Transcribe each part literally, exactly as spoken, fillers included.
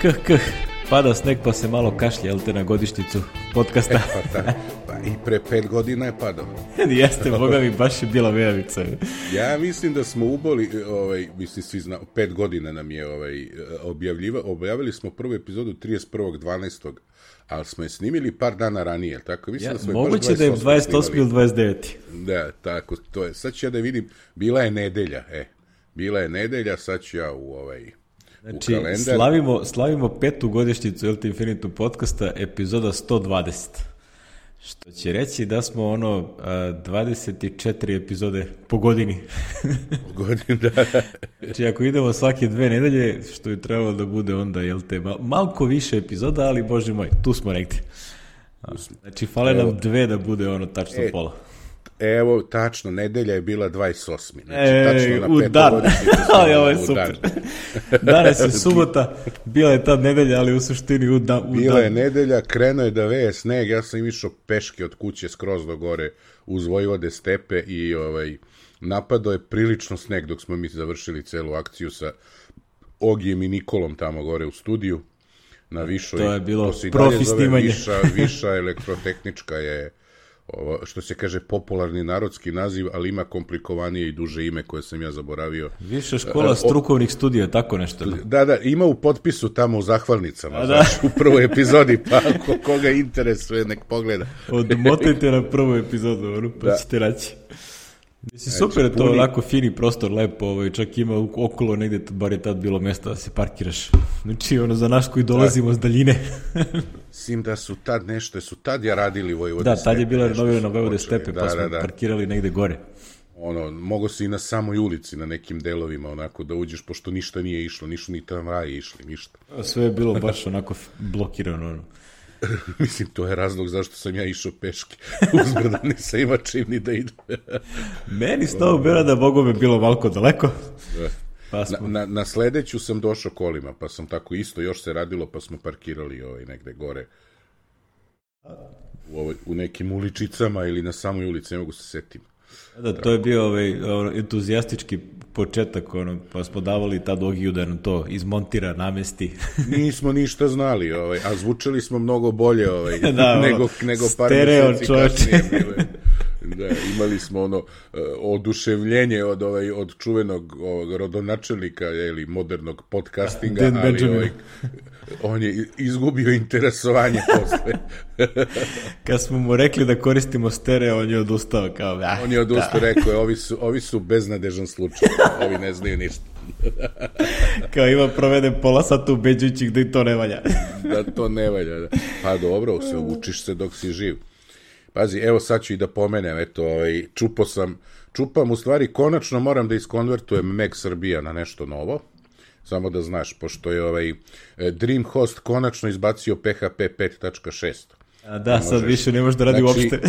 Kh, kh, pada sneg pa se malo kašlje, jel te, na godišnjicu podcasta. E, pa, ta, pa i pre pet godina je padao. Jeste, boga mi, baš je bila vejavica. Ja mislim da smo uboli, ovaj, mislim svi zna, pet godina nam je ovaj, objavljiva, objavili smo prvu epizodu trideset prvog dvanaestog ali smo je snimili par dana ranije, tako? Mislim ja, da smo moguće da je dvadeset osmi ili dvadeset deveti Da, tako, to je. Sad ću ja da vidim, bila je nedelja, e, bila je nedelja, sad ću ja u ovaj... Znači, slavimo, slavimo petu godišnjicu L T Infinitum podcasta, epizoda sto dvadeset. Što će reći da smo ono dvadeset četiri epizode po godini. Po godini, da. Znači, ako idemo svake dve nedelje, što je trebalo da bude onda, jel te, mal, malko više epizoda, ali bože moj, tu smo negdje. Znači, fale nam dve da bude ono tačno e, pola. Evo, tačno, nedelja je bila dvadeset osmi Znači, e, tačno na u dan. Ali ovo je u super. Danas je subota, bila je tad nedelja, ali u suštini u, da, u bila dan. je nedelja, krenuo je da veje sneg, ja sam im išao peške od kuće skroz do gore uz Vojvode stepe i ovaj, napadao je prilično sneg dok smo mi završili celu akciju sa Ogijem i Nikolom tamo gore u studiju na Višoj. To je bilo profi snimanje. Viša, viša elektrotehnička je ovo, što se kaže popularni narodski naziv, ali ima komplikovanije i duže ime koje sam ja zaboravio. Viša škola strukovnih studija, tako nešto. Da, da, ima u potpisu tamo u zahvalnicama, znaš, u prvoj epizodi, pa ako koga interesuje, nek pogleda. Odmotajte na prvu epizodu, ono, pa da. Ćete raći. Mislim, super je to, puni... onako fini prostor, lepo, ovaj, čak ima okolo negdje, bar je tad bilo mjesto da se parkiraš. Znači, ono, za nas koji dolazimo da. S daljine. Sim da su tad nešto, su tad ja radili Vojvode da, stepe. Da, tad je bila renovirana Vojvode stepe, da, pa smo da, da. parkirali negdje gore. Ono, mogo si i na samoj ulici, na nekim delovima, onako, da uđeš, pošto ništa nije išlo, nisu ni tramvaji išli, ništa. Sve je bilo baš onako blokirano, ono. Mislim, to je razlog zašto sam ja išao peške. Uzbrdo nisam ima čim ni da idem. Meni s Novog Beograda, Bogom je bilo malko daleko. Pa smo... na, na, na sledeću sam došao kolima, pa sam tako isto, još se radilo, pa smo parkirali ovaj, negde gore. U, ovaj, u nekim uličicama ili na samoj ulici, ne mogu se setim. Da, to je bio ovaj, ovaj entuzijastički početak, ono, pa smo davali tad Ogiju da nam to izmontira, namesti. Nismo ništa znali, ovaj, a zvučali smo mnogo bolje ovaj, da, nego, nego par stereo, meseci kasnije. Bile. Da, imali smo ono uh, oduševljenje od, ovaj, od čuvenog ovog, rodonačelnika ili modernog podcastinga, Dan ali Benjamin. ovaj, on je izgubio interesovanje posle. Kad smo mu rekli da koristimo stereo, on je odustao. Kao, ah, on je odustao, da. rekao je, ovi su, ovi su beznadežan slučaj, ovi ne znaju ništa. Kao ima proveden pola sata ubeđujući da i to ne valja. Da to ne valja, da. Pa dobro, se učiš se dok si živ. Pazi, evo sad ću i da pomenem, eto, ovaj, čupo sam, čupam u stvari, konačno moram da iskonvertujem Mac Srbija na nešto novo, samo da znaš, pošto je ovaj DreamHost konačno izbacio P H P pet tačka šest. A da, možeš, sad više ne možeš da radi znači, uopšte.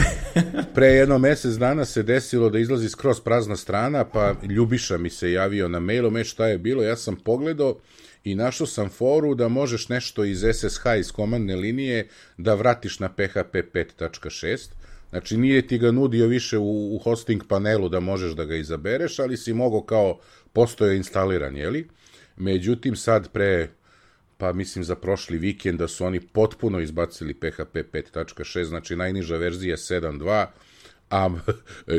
Pre jedno mesec dana se desilo da izlazi skroz prazna strana, pa Ljubiša mi se javio na mailom, e šta je bilo, ja sam pogledao i našao sam foru da možeš nešto iz S S H, iz komandne linije, da vratiš na P H P pet tačka šest. Znači, nije ti ga nudio više u, u hosting panelu da možeš da ga izabereš, ali si mogao kao postoje instaliran, jeli? Međutim, sad pre, pa mislim za prošli vikend, da su oni potpuno izbacili P H P pet tačka šest, znači najniža verzija sedam dva, a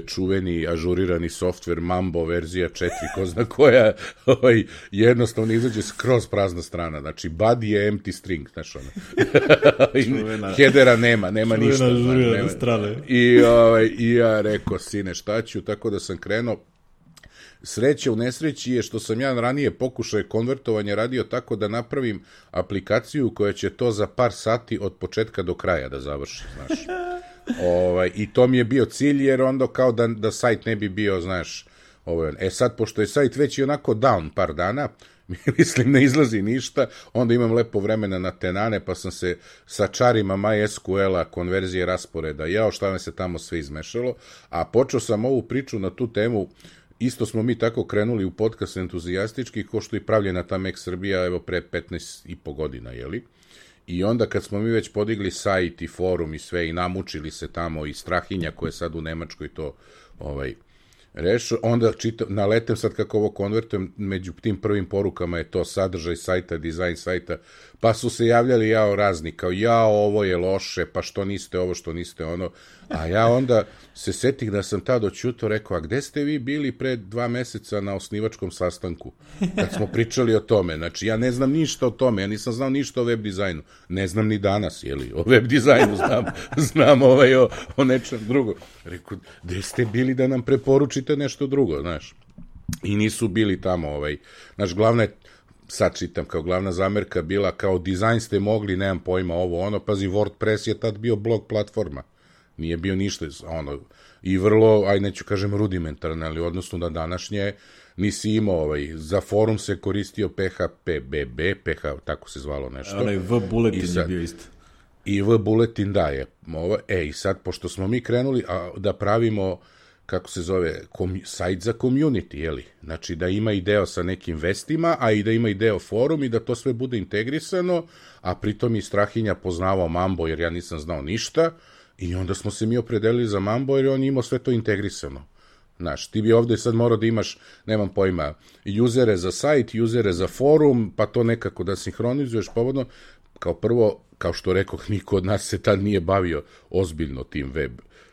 čuveni ažurirani softver Mambo verzija četiri, ko zna koja, ovaj, jednostavno izađe skroz prazna strana, znači body je empty string, znaš ono. Headera nema, nema čuvena ništa. Ažurirane strane. I, ovaj, I ja rekao, sine, šta ću, tako da sam krenuo. Sreća u nesreći je što sam ja ranije pokušaj konvertovanja radio tako da napravim aplikaciju koja će to za par sati od početka do kraja da završi, znaš. Ovaj, i to mi je bio cilj, jer onda kao da, da sajt ne bi bio, znaš, ovaj, e sad, pošto je sajt već i onako down par dana, mislim, ne izlazi ništa, onda imam lepo vremena na tenane, pa sam se sa čarima MySQL-a, konverzije rasporeda, jao šta me se tamo sve izmešalo, a počeo sam ovu priču na tu temu, isto smo mi tako krenuli u podcast entuzijastički, ko što i pravljena ta Mac Srbija, evo pre petnaest i po godina, jeli? I onda kad smo mi već podigli sajt i forum i sve i namučili se tamo i Strahinja koja je sad u Nemačkoj to ovaj, Rešio, onda čitam, naletem sad kako ovo konvertujem, među tim prvim porukama je to sadržaj sajta, dizajn sajta, pa su se javljali jao razni, kao jao ovo je loše, pa što niste ovo, što niste ono, a ja onda se setih da sam tad oćuto rekao, a gde ste vi bili pre dva meseca na osnivačkom sastanku, kad smo pričali o tome, znači ja ne znam ništa o tome, ja nisam znao ništa o web dizajnu, ne znam ni danas, jeli, o web dizajnu znam, znam ovaj o, o nečem drugo. Rekao, gde ste bili da nam preporučite nešto drugo, znaš, i nisu bili tamo, ovaj, znaš, glavna je, sad čitam, kao glavna zamerka bila, kao dizajn ste mogli, nemam pojma, ovo, ono, pazi, WordPress je tad bio blog platforma, nije bio ništa, ono, i vrlo, aj neću kažem rudimentarno, ali odnosno na današnje, nisi imao, ovaj, za forum se koristio P H P B B, P H, tako se zvalo nešto. Onaj V-Bulletin je bio isto. I V-Bulletin daje. Ovo, e, i sad, pošto smo mi krenuli a, da pravimo, kako se zove, kom, sajt za community, jeli? Znači, da ima i deo sa nekim vestima, a i da ima i deo forum i da to sve bude integrisano, a pritom i Strahinja poznavao Mambo, jer ja nisam znao ništa, i onda smo se mi opredelili za Mambo, jer on imao sve to integrisano. Znaš, ti bi ovde sad morao da imaš, nemam pojma, usere za sajt, usere za forum, pa to nekako da sinhronizuješ povodno. Kao prvo, kao što rekoh, niko od nas se tad nije bavio ozbiljno tim web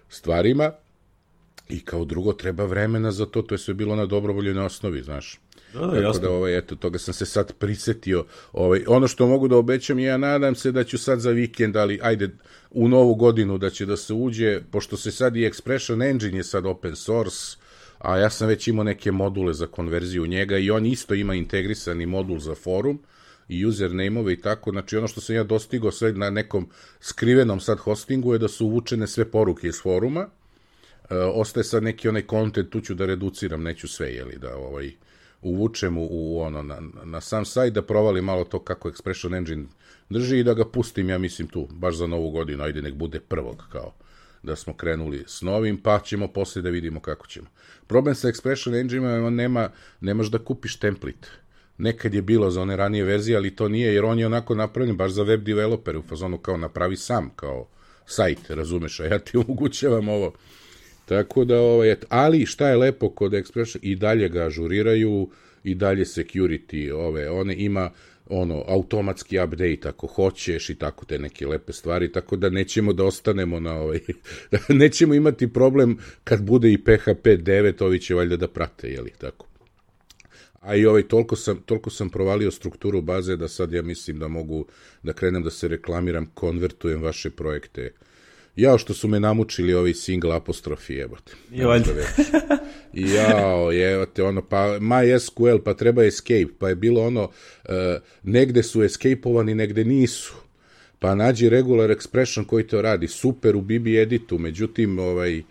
stvarima, i kao drugo, treba vremena za to, to je sve bilo na dobrovoljnoj osnovi, znaš. Da, da, tako jasno. da, ovaj, eto, toga sam se sad prisetio. Ovaj, ono što mogu da obećam, ja nadam se da ću sad za vikend, ali ajde, u novu godinu da će da se uđe, pošto se sad i Expression Engine je sad open source, a ja sam već imao neke module za konverziju njega i on isto ima integrisani modul za forum i username-ove i tako, znači ono što sam ja dostigao sve na nekom skrivenom sad hostingu je da su uvučene sve poruke iz foruma, e, ostaje sad neki onaj content, tu ću da reduciram, neću sve, jeli, da ovaj, uvučem u, u ono, na, na sam sajt, da provalim malo to kako Expression Engine drži i da ga pustim, ja mislim tu, baš za novu godinu, ajde nek bude prvog, kao da smo krenuli s novim, pa ćemo posle da vidimo kako ćemo. Problem sa Expression Engine nema, nemaš da kupiš template. Nekad je bilo za one ranije verzije, ali to nije, jer on je onako napravljen baš za web developere, u fazonu kao napravi sam, kao sajt, razumeš, a ja ti omogućavam ovo. Tako da, ovaj, ali šta je lepo kod Expression, i dalje ga ažuriraju, i dalje security, ove, one ima ono, automatski update ako hoćeš i tako te neke lepe stvari, tako da nećemo da ostanemo na ovaj, nećemo imati problem kad bude i P H P devet, ovi će valjda da prate, jeli, tako. A i ovaj, toliko sam, toliko sam provalio strukturu baze da sad ja mislim da mogu da krenem da se reklamiram, konvertujem vaše projekte. Jao što su me namučili ovi single apostrofi, jebote. Jao, jebote, ono, pa MySQL, pa treba escape, pa je bilo ono, uh, negde su escapeovani, negde nisu. Pa nađi regular expression koji to radi, super u B B editu, međutim, ovaj,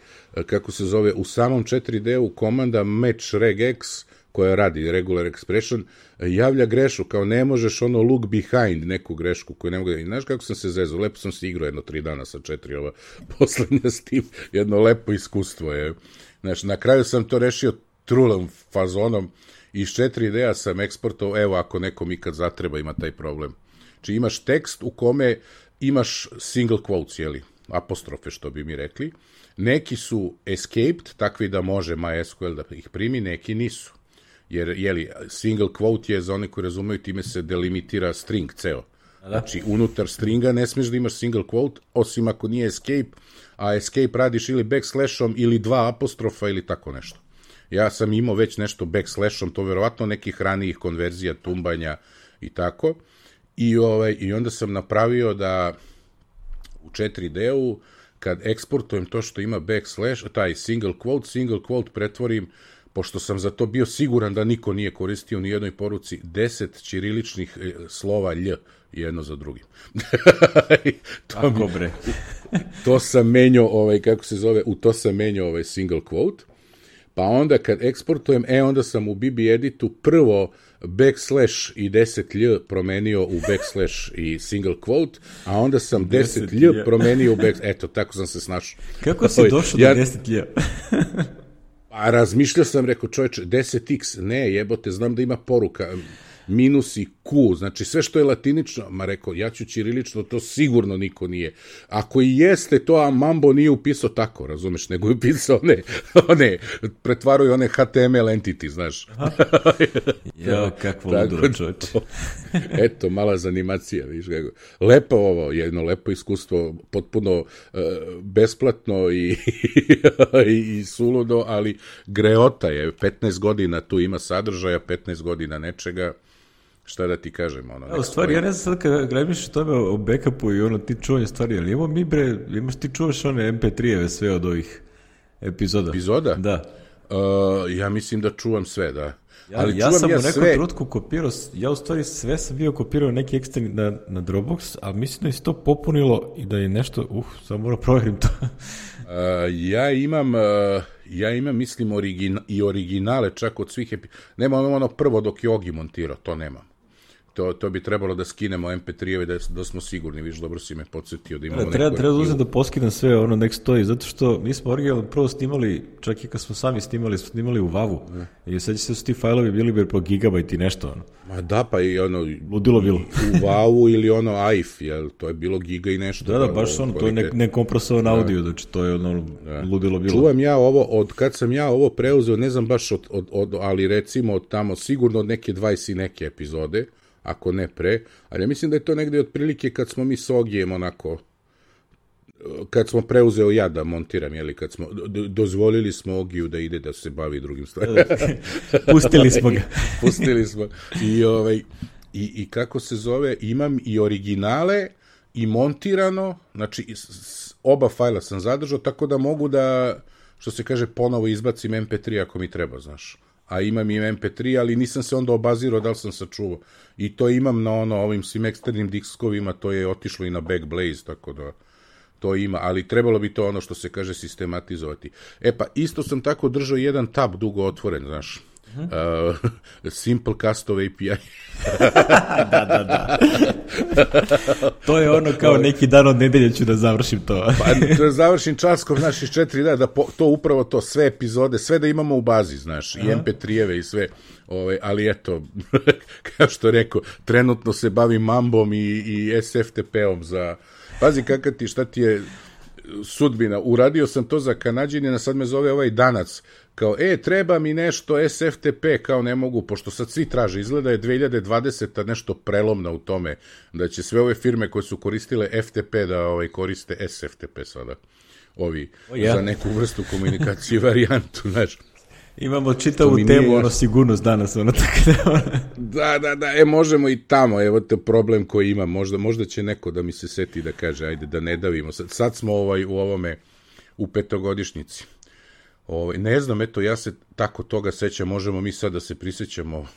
kako se zove, u samom četiri D-u komanda match regex, koja radi regular expression, javlja grešu, kao ne možeš ono look behind neku grešku koju ne mogu da... Znaš kako sam se zezao, lepo sam se igrao jedno tri dana sa četiri ova poslednja s tim, jedno lepo iskustvo je. Znaš, na kraju sam to rešio trulom fazonom, iz četiri D-a sam eksportao, evo ako nekom ikad zatreba ima taj problem. Znači imaš tekst u kome imaš single quotes, jeli, apostrofe što bi mi rekli, neki su escaped, takvi da može MySQL da ih primi, neki nisu. Jer, jeli, single quote je, za one koji razumeju, time se delimitira string ceo. Znači, unutar stringa ne smiješ da imaš single quote, osim ako nije escape, a escape radiš ili backslashom ili dva apostrofa ili tako nešto. Ja sam imao već nešto backslashom, to verovatno nekih ranijih konverzija, tumbanja i tako. I, ovaj, i onda sam napravio da u četiri D-u, kad eksportujem to što ima backslash, taj single quote, single quote pretvorim, pošto sam za to bio siguran da niko nije koristio u nijednoj poruci, deset ćiriličnih slova lj jedno za drugim. to, Ako bre. to sam menjao, ovaj, kako se zove, u to sam menjao ovaj single quote, pa onda kad eksportujem, e onda sam u B B editu prvo backslash i deset lj promenio u backslash i single quote, a onda sam deset lj promenio u backslash, eto, tako sam se snašao. Kako si došao ja... do deset lj? A razmišljao sam, rekao, čovječe, deset x, ne, jebote, znam da ima poruka, minus i Q, znači sve što je latinično, ma rekao, ja ću ćirilično, to sigurno niko nije. Ako i jeste to, a Mambo nije upisao tako, razumeš, nego je upisao one, one pretvaruju one H T M L entity, znaš. Ja, kakvo ludilo, čovječe. Eto, mala zanimacija, viš kako. Lepo ovo, jedno lepo iskustvo, potpuno uh, besplatno i, i, i suludo, ali greota je, petnaest godina tu ima sadržaja, petnaest godina nečega, šta da ti kažem, ono. Ja, u stvari, ja ne znam sad kad gremiš o tome o backupu i ono ti čuvanje stvari, ali imamo mi bre, imaš ti čuvaš one em pe tri-eve sve od ovih epizoda. Epizoda? Da. Uh, ja mislim da čuvam sve, da. Ja, ali ja sam ja u nekom sve... trenutku kopirao, ja u stvari sve sam bio kopirao neki eksterni na, na Dropbox, ali mislim da je to popunilo i da je nešto, uh, samo moram provjerim to. uh, ja imam, uh, ja imam, mislim, origina, i originale čak od svih, epi... nemam ono prvo dok je Ogi montirao, to nemam. To, to bi trebalo da skinemo em pe tri-eve da, da smo sigurni, viš, dobro si me podsjetio da imamo da, treba, neku... Treba da uzeti da poskidam sve, ono nek stoji, zato što mi smo originalno prvo snimali, čak i kad smo sami snimali, smo snimali u vavu. Ne. I sad će se su ti fajlovi bili bi po gigabajt i nešto, ono. Ma da, pa i ono... Ludilo bilo. U vavu ili ono A I F, jel, to je bilo giga i nešto. Da, da, baš ono, to je ne, nekompresovan audio, znači to je ono, da. Ludilo bilo. Čuvam ja ovo, od kad sam ja ovo preuzeo, ne znam baš od, od, od ali recimo od tamo, sigurno od neke dvadeset i neke epizode, ako ne pre, ali ja mislim da je to negde otprilike kad smo mi s Ogijem onako, kad smo preuzeo ja da montiram, jeli, kad smo, do, dozvolili smo Ogiju da ide da se bavi drugim stvarima. Pustili smo ga. Pustili smo. I, ovaj, i, I kako se zove, imam i originale i montirano, znači oba fajla sam zadržao, tako da mogu da, što se kaže, ponovo izbacim em pe tri ako mi treba, znaš. A imam i em pe tri, ali nisam se onda obazirao da li sam sačuvao. I to imam na ono, ovim svim eksternim diskovima, to je otišlo i na Backblaze, tako da to ima, ali trebalo bi to ono što se kaže sistematizovati. E pa, isto sam tako držao jedan tab dugo otvoren, znaš. Uh, Simple Custom A P I. Da, da, da. To je ono kao neki dan od nedelje ću da završim to. Pa da završim časkov, znaš, iz četiri dana, da po, to upravo to, sve epizode, sve da imamo u bazi, znaš, i em pe tri-eve i sve, ovaj, ali eto, kao što rekao, trenutno se bavim Mambom i, i es ef te pe-om za, pazi kakav ti, šta ti je sudbina, uradio sam to za Kanadžanina, sad me zove ovaj Danac, kao, e, treba mi nešto es ef te pe, kao ne mogu, pošto sad svi traže, izgleda je dve hiljade dvadeseta nešto prelomna u tome, da će sve ove firme koje su koristile ef te pe da ovaj, koriste es ef te pe sada, ovi, oh, yeah. za neku vrstu komunikacije i varijantu, znaš. Imamo čitavu temu, nije... ono, sigurnost danas, ono, tako da... Da, da, da, e, možemo i tamo, evo te problem koji imam, možda, možda će neko da mi se seti da kaže, ajde, da ne davimo, sad, sad smo ovaj, u ovome, u petogodišnjici. Ovaj, ne znam, eto, ja se tako toga sećam, možemo mi sad da se prisjećamo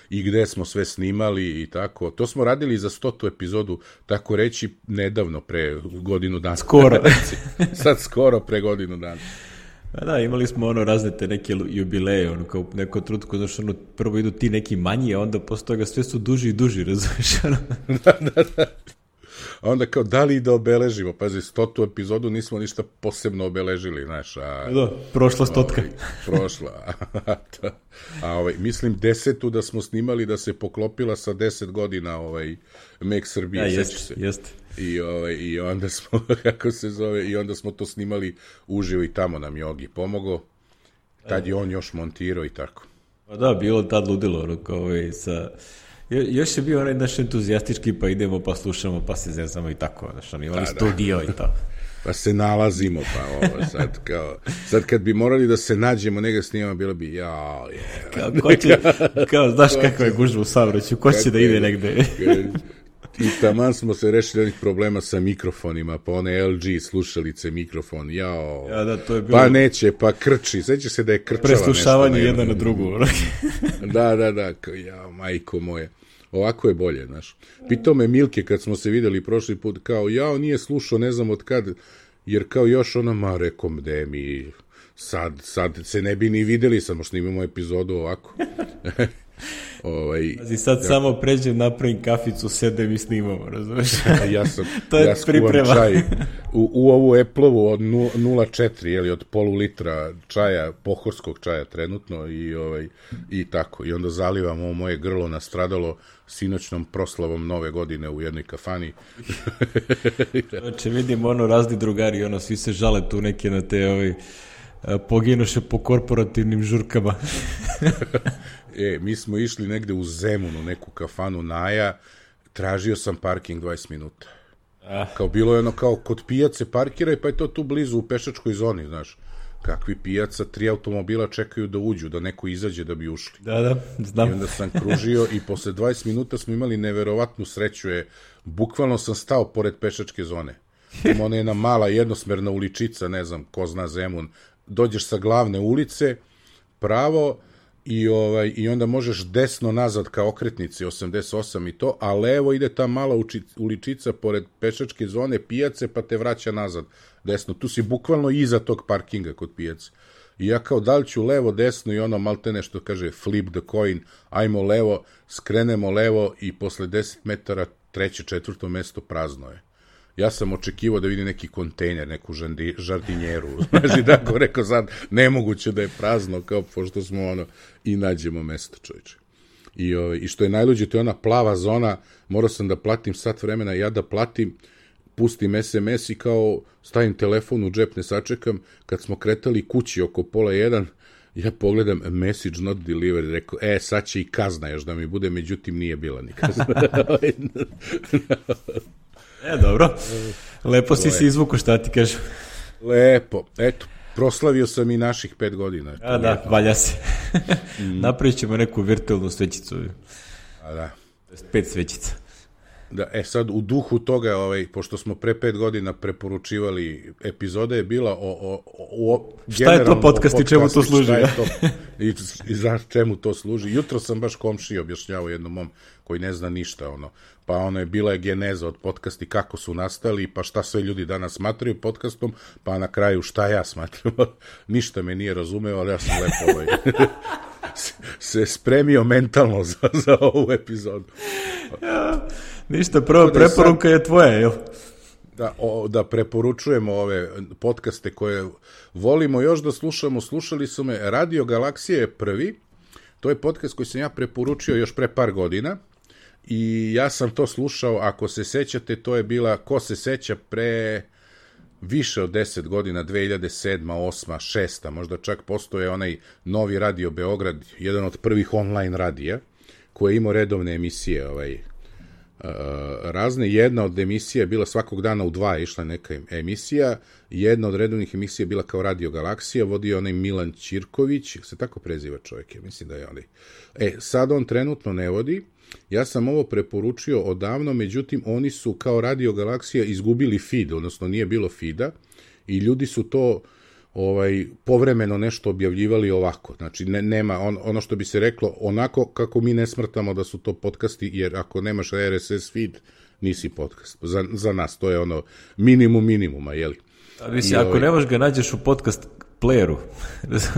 i gde smo sve snimali i tako. To smo radili za stotu epizodu, tako reći, nedavno, pre godinu dana. Skoro. Sad skoro, pre godinu dana. A da, imali smo ono razne te neke jubileje, ono kao neko trutko, znaš, ono, prvo idu ti neki manji, a onda posle toga sve su duži i duži, razumiješ, ono. Da, da, da. A onda kao, da li da obeležimo? Pazi, stotu epizodu nismo ništa posebno obeležili, znaš. A, da, prošla stotka. Ovaj, prošla. A ovaj, mislim desetu da smo snimali da se poklopila sa deset godina ovaj, Make Srbije, ja, sećaš se. Jeste. I, ovaj, I onda smo, kako se zove, i onda smo to snimali uživo i tamo nam Jogi pomogao. Tad je on još montirao i tako. Pa da, bilo tad ludilo, ono, kao ovaj, sa... Jo, još je bio onaj naš entuzijastički, pa idemo, pa slušamo, pa se zezamo i tako, znaš, on imali da, studio da. I to. Pa se nalazimo, pa ovo, sad kao, sad kad bi morali da se nađemo, nega snimamo, bilo bi, jao, je. Kao, ko će, kao, znaš kakva je gužba u saobraćaju, ko će da ide negde? I taman smo se rešili onih problema sa mikrofonima, pa one el ge slušalice mikrofon, jao, ja, da, to je bilo... pa neće, pa krči, seća se da je krčala nešto. Preslušavanje jedna na drugu. Da, da, da, jao, majko moje. Ovako je bolje, znaš. Pitao me Milke kad smo se videli prošli put, kao, jao, nije slušao, ne znam od kad, jer kao još ona, ma, rekom, de mi, sad, sad se ne bi ni videli, samo snimamo epizodu ovako. Ovaj, Pazi, sad ja, samo pređem, napravim kaficu, sedem i snimamo, razumiješ? Ja sam, to je ja skuvam čaj u, u ovu Apple-ovu od nula zarez četiri, jeli, od polu litra čaja, pohorskog čaja trenutno i, ovaj, i tako. I onda zalivam ovo moje grlo nastradalo sinoćnom proslavom nove godine u jednoj kafani. Znači, vidim ono razni drugari, ono, svi se žale tu neke na te ovaj, poginuše po korporativnim žurkama. E, mi smo išli negde u Zemunu, neku kafanu Naja, tražio sam parking dvadeset minuta. Ah. Kao bilo je ono kao kod pijace parkiraj, pa je to tu blizu u pešačkoj zoni, znaš. Kakvi pijaca, tri automobila čekaju da uđu, da neko izađe da bi ušli. Da, da, znam. I onda sam kružio i posle dvadeset minuta smo imali neverovatnu sreću, je, bukvalno sam stao pored pešačke zone. Ima ona jedna mala jednosmerna uličica, ne znam, ko zna Zemun, dođeš sa glavne ulice, pravo, i, ovaj, i onda možeš desno nazad ka okretnici osamdeset osam i to, a levo ide ta mala uči, uličica pored pešačke zone pijace, pa te vraća nazad desno. Tu si bukvalno iza tog parkinga kod pijace. I ja kao da li ću levo, desno i ono malte nešto kaže flip the coin, ajmo levo, skrenemo levo i posle deset metara treće, četvrto mesto prazno je. Ja sam očekivao da vidim neki kontejner, neku žandi, žardinjeru, znači tako rekao sad, nemoguće da je prazno, kao pošto smo ono, i nađemo mesto, čovječe. I, o, i što je najluđe, to je ona plava zona, morao sam da platim sat vremena, ja da platim, pustim es em es i kao stavim telefon u džep, ne sačekam, kad smo kretali kući oko pola jedan, ja pogledam message not delivered, rekao, e, sad će i kazna još da mi bude, međutim nije bila ni kazna. E, dobro. Lepo si se izvuko, šta ti kažem. Lepo. Eto, proslavio sam i naših pet godina. A da, valja se. mm. Napravit ćemo neku virtualnu svećicu. A da. Pet svećica. Da, e sad, u duhu toga, ovaj, pošto smo pre pet godina preporučivali, epizoda je bila o... o, o, o šta je to podcast i čemu to služi? Šta je to, i, I za čemu to služi. Jutro sam baš komšiji objašnjavao jednom mom koji ne zna ništa, ono. Pa ono je bila je geneza od podcasti, kako su nastali, pa šta sve ljudi danas smatraju podcastom, pa na kraju šta ja smatram. Ništa me nije razumeo, ali ja sam lepo ovaj, se spremio mentalno za, za ovu epizodu. Ja, ništa, prva preporuka sad, je tvoja, jel? Da, o, da preporučujemo ove podcaste koje volimo još da slušamo. Slušali su me, Radio Galaksija je prvi, to je podcast koji sam ja preporučio još pre par godina. I ja sam to slušao, ako se sećate, to je bila, ko se seća, pre više od deset godina, dve hiljade sedma, osma, šesta, možda čak postoje onaj Novi Radio Beograd, jedan od prvih online radija, koji je imao redovne emisije, ovaj, uh, razne. Jedna od emisija je bila svakog dana u dva, išla neka emisija, jedna od redovnih emisija je bila kao Radio Galaksija, vodio onaj Milan Ćirković, se tako preziva čovjek, ja mislim da je onaj. E, sad on trenutno ne vodi. Ja sam ovo preporučio odavno, međutim, oni su kao Radio Galaksija izgubili feed, odnosno nije bilo feeda i ljudi su to ovaj, povremeno nešto objavljivali ovako. Znači, ne, nema on, ono što bi se reklo onako kako mi ne smrtamo da su to podcasti, jer ako nemaš er es es feed, nisi podcast. Za, za nas to je ono minimum minimuma, jeli? A misli, ako ovaj, nemaš ga nađeš u podcast playeru,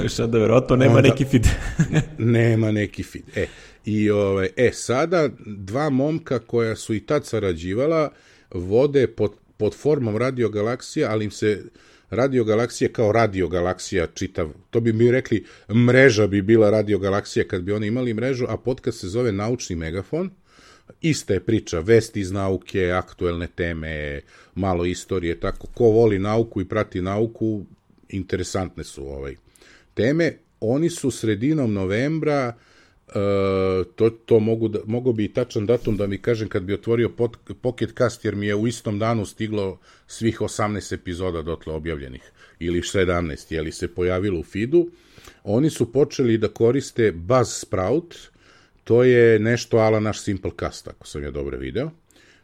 šta da verovatno nema onda, neki feed. nema neki feed. E, I ovaj, e, sada dva momka koja su i tad sarađivala vode pod, pod formom Radio Galaksija, ali im se Radio Galaksija kao Radio Galaksija čitav, to bi mi rekli mreža bi bila Radio Galaksija kad bi oni imali mrežu, a podcast se zove Naučni megafon. Ista je priča, vesti iz nauke, aktuelne teme, malo istorije, tako, ko voli nauku i prati nauku, interesantne su ovaj teme. Oni su sredinom novembra, uh, to, to mogu, da, mogu bi i tačan datum da mi kažem kad bi otvorio pod, Pocket Cast, jer mi je u istom danu stiglo svih osamnaest epizoda dotle objavljenih, ili sedamnaest, jeli se pojavilo u feedu. Oni su počeli da koriste Buzzsprout, to je nešto ala naš Simplecast, ako sam ja dobro video.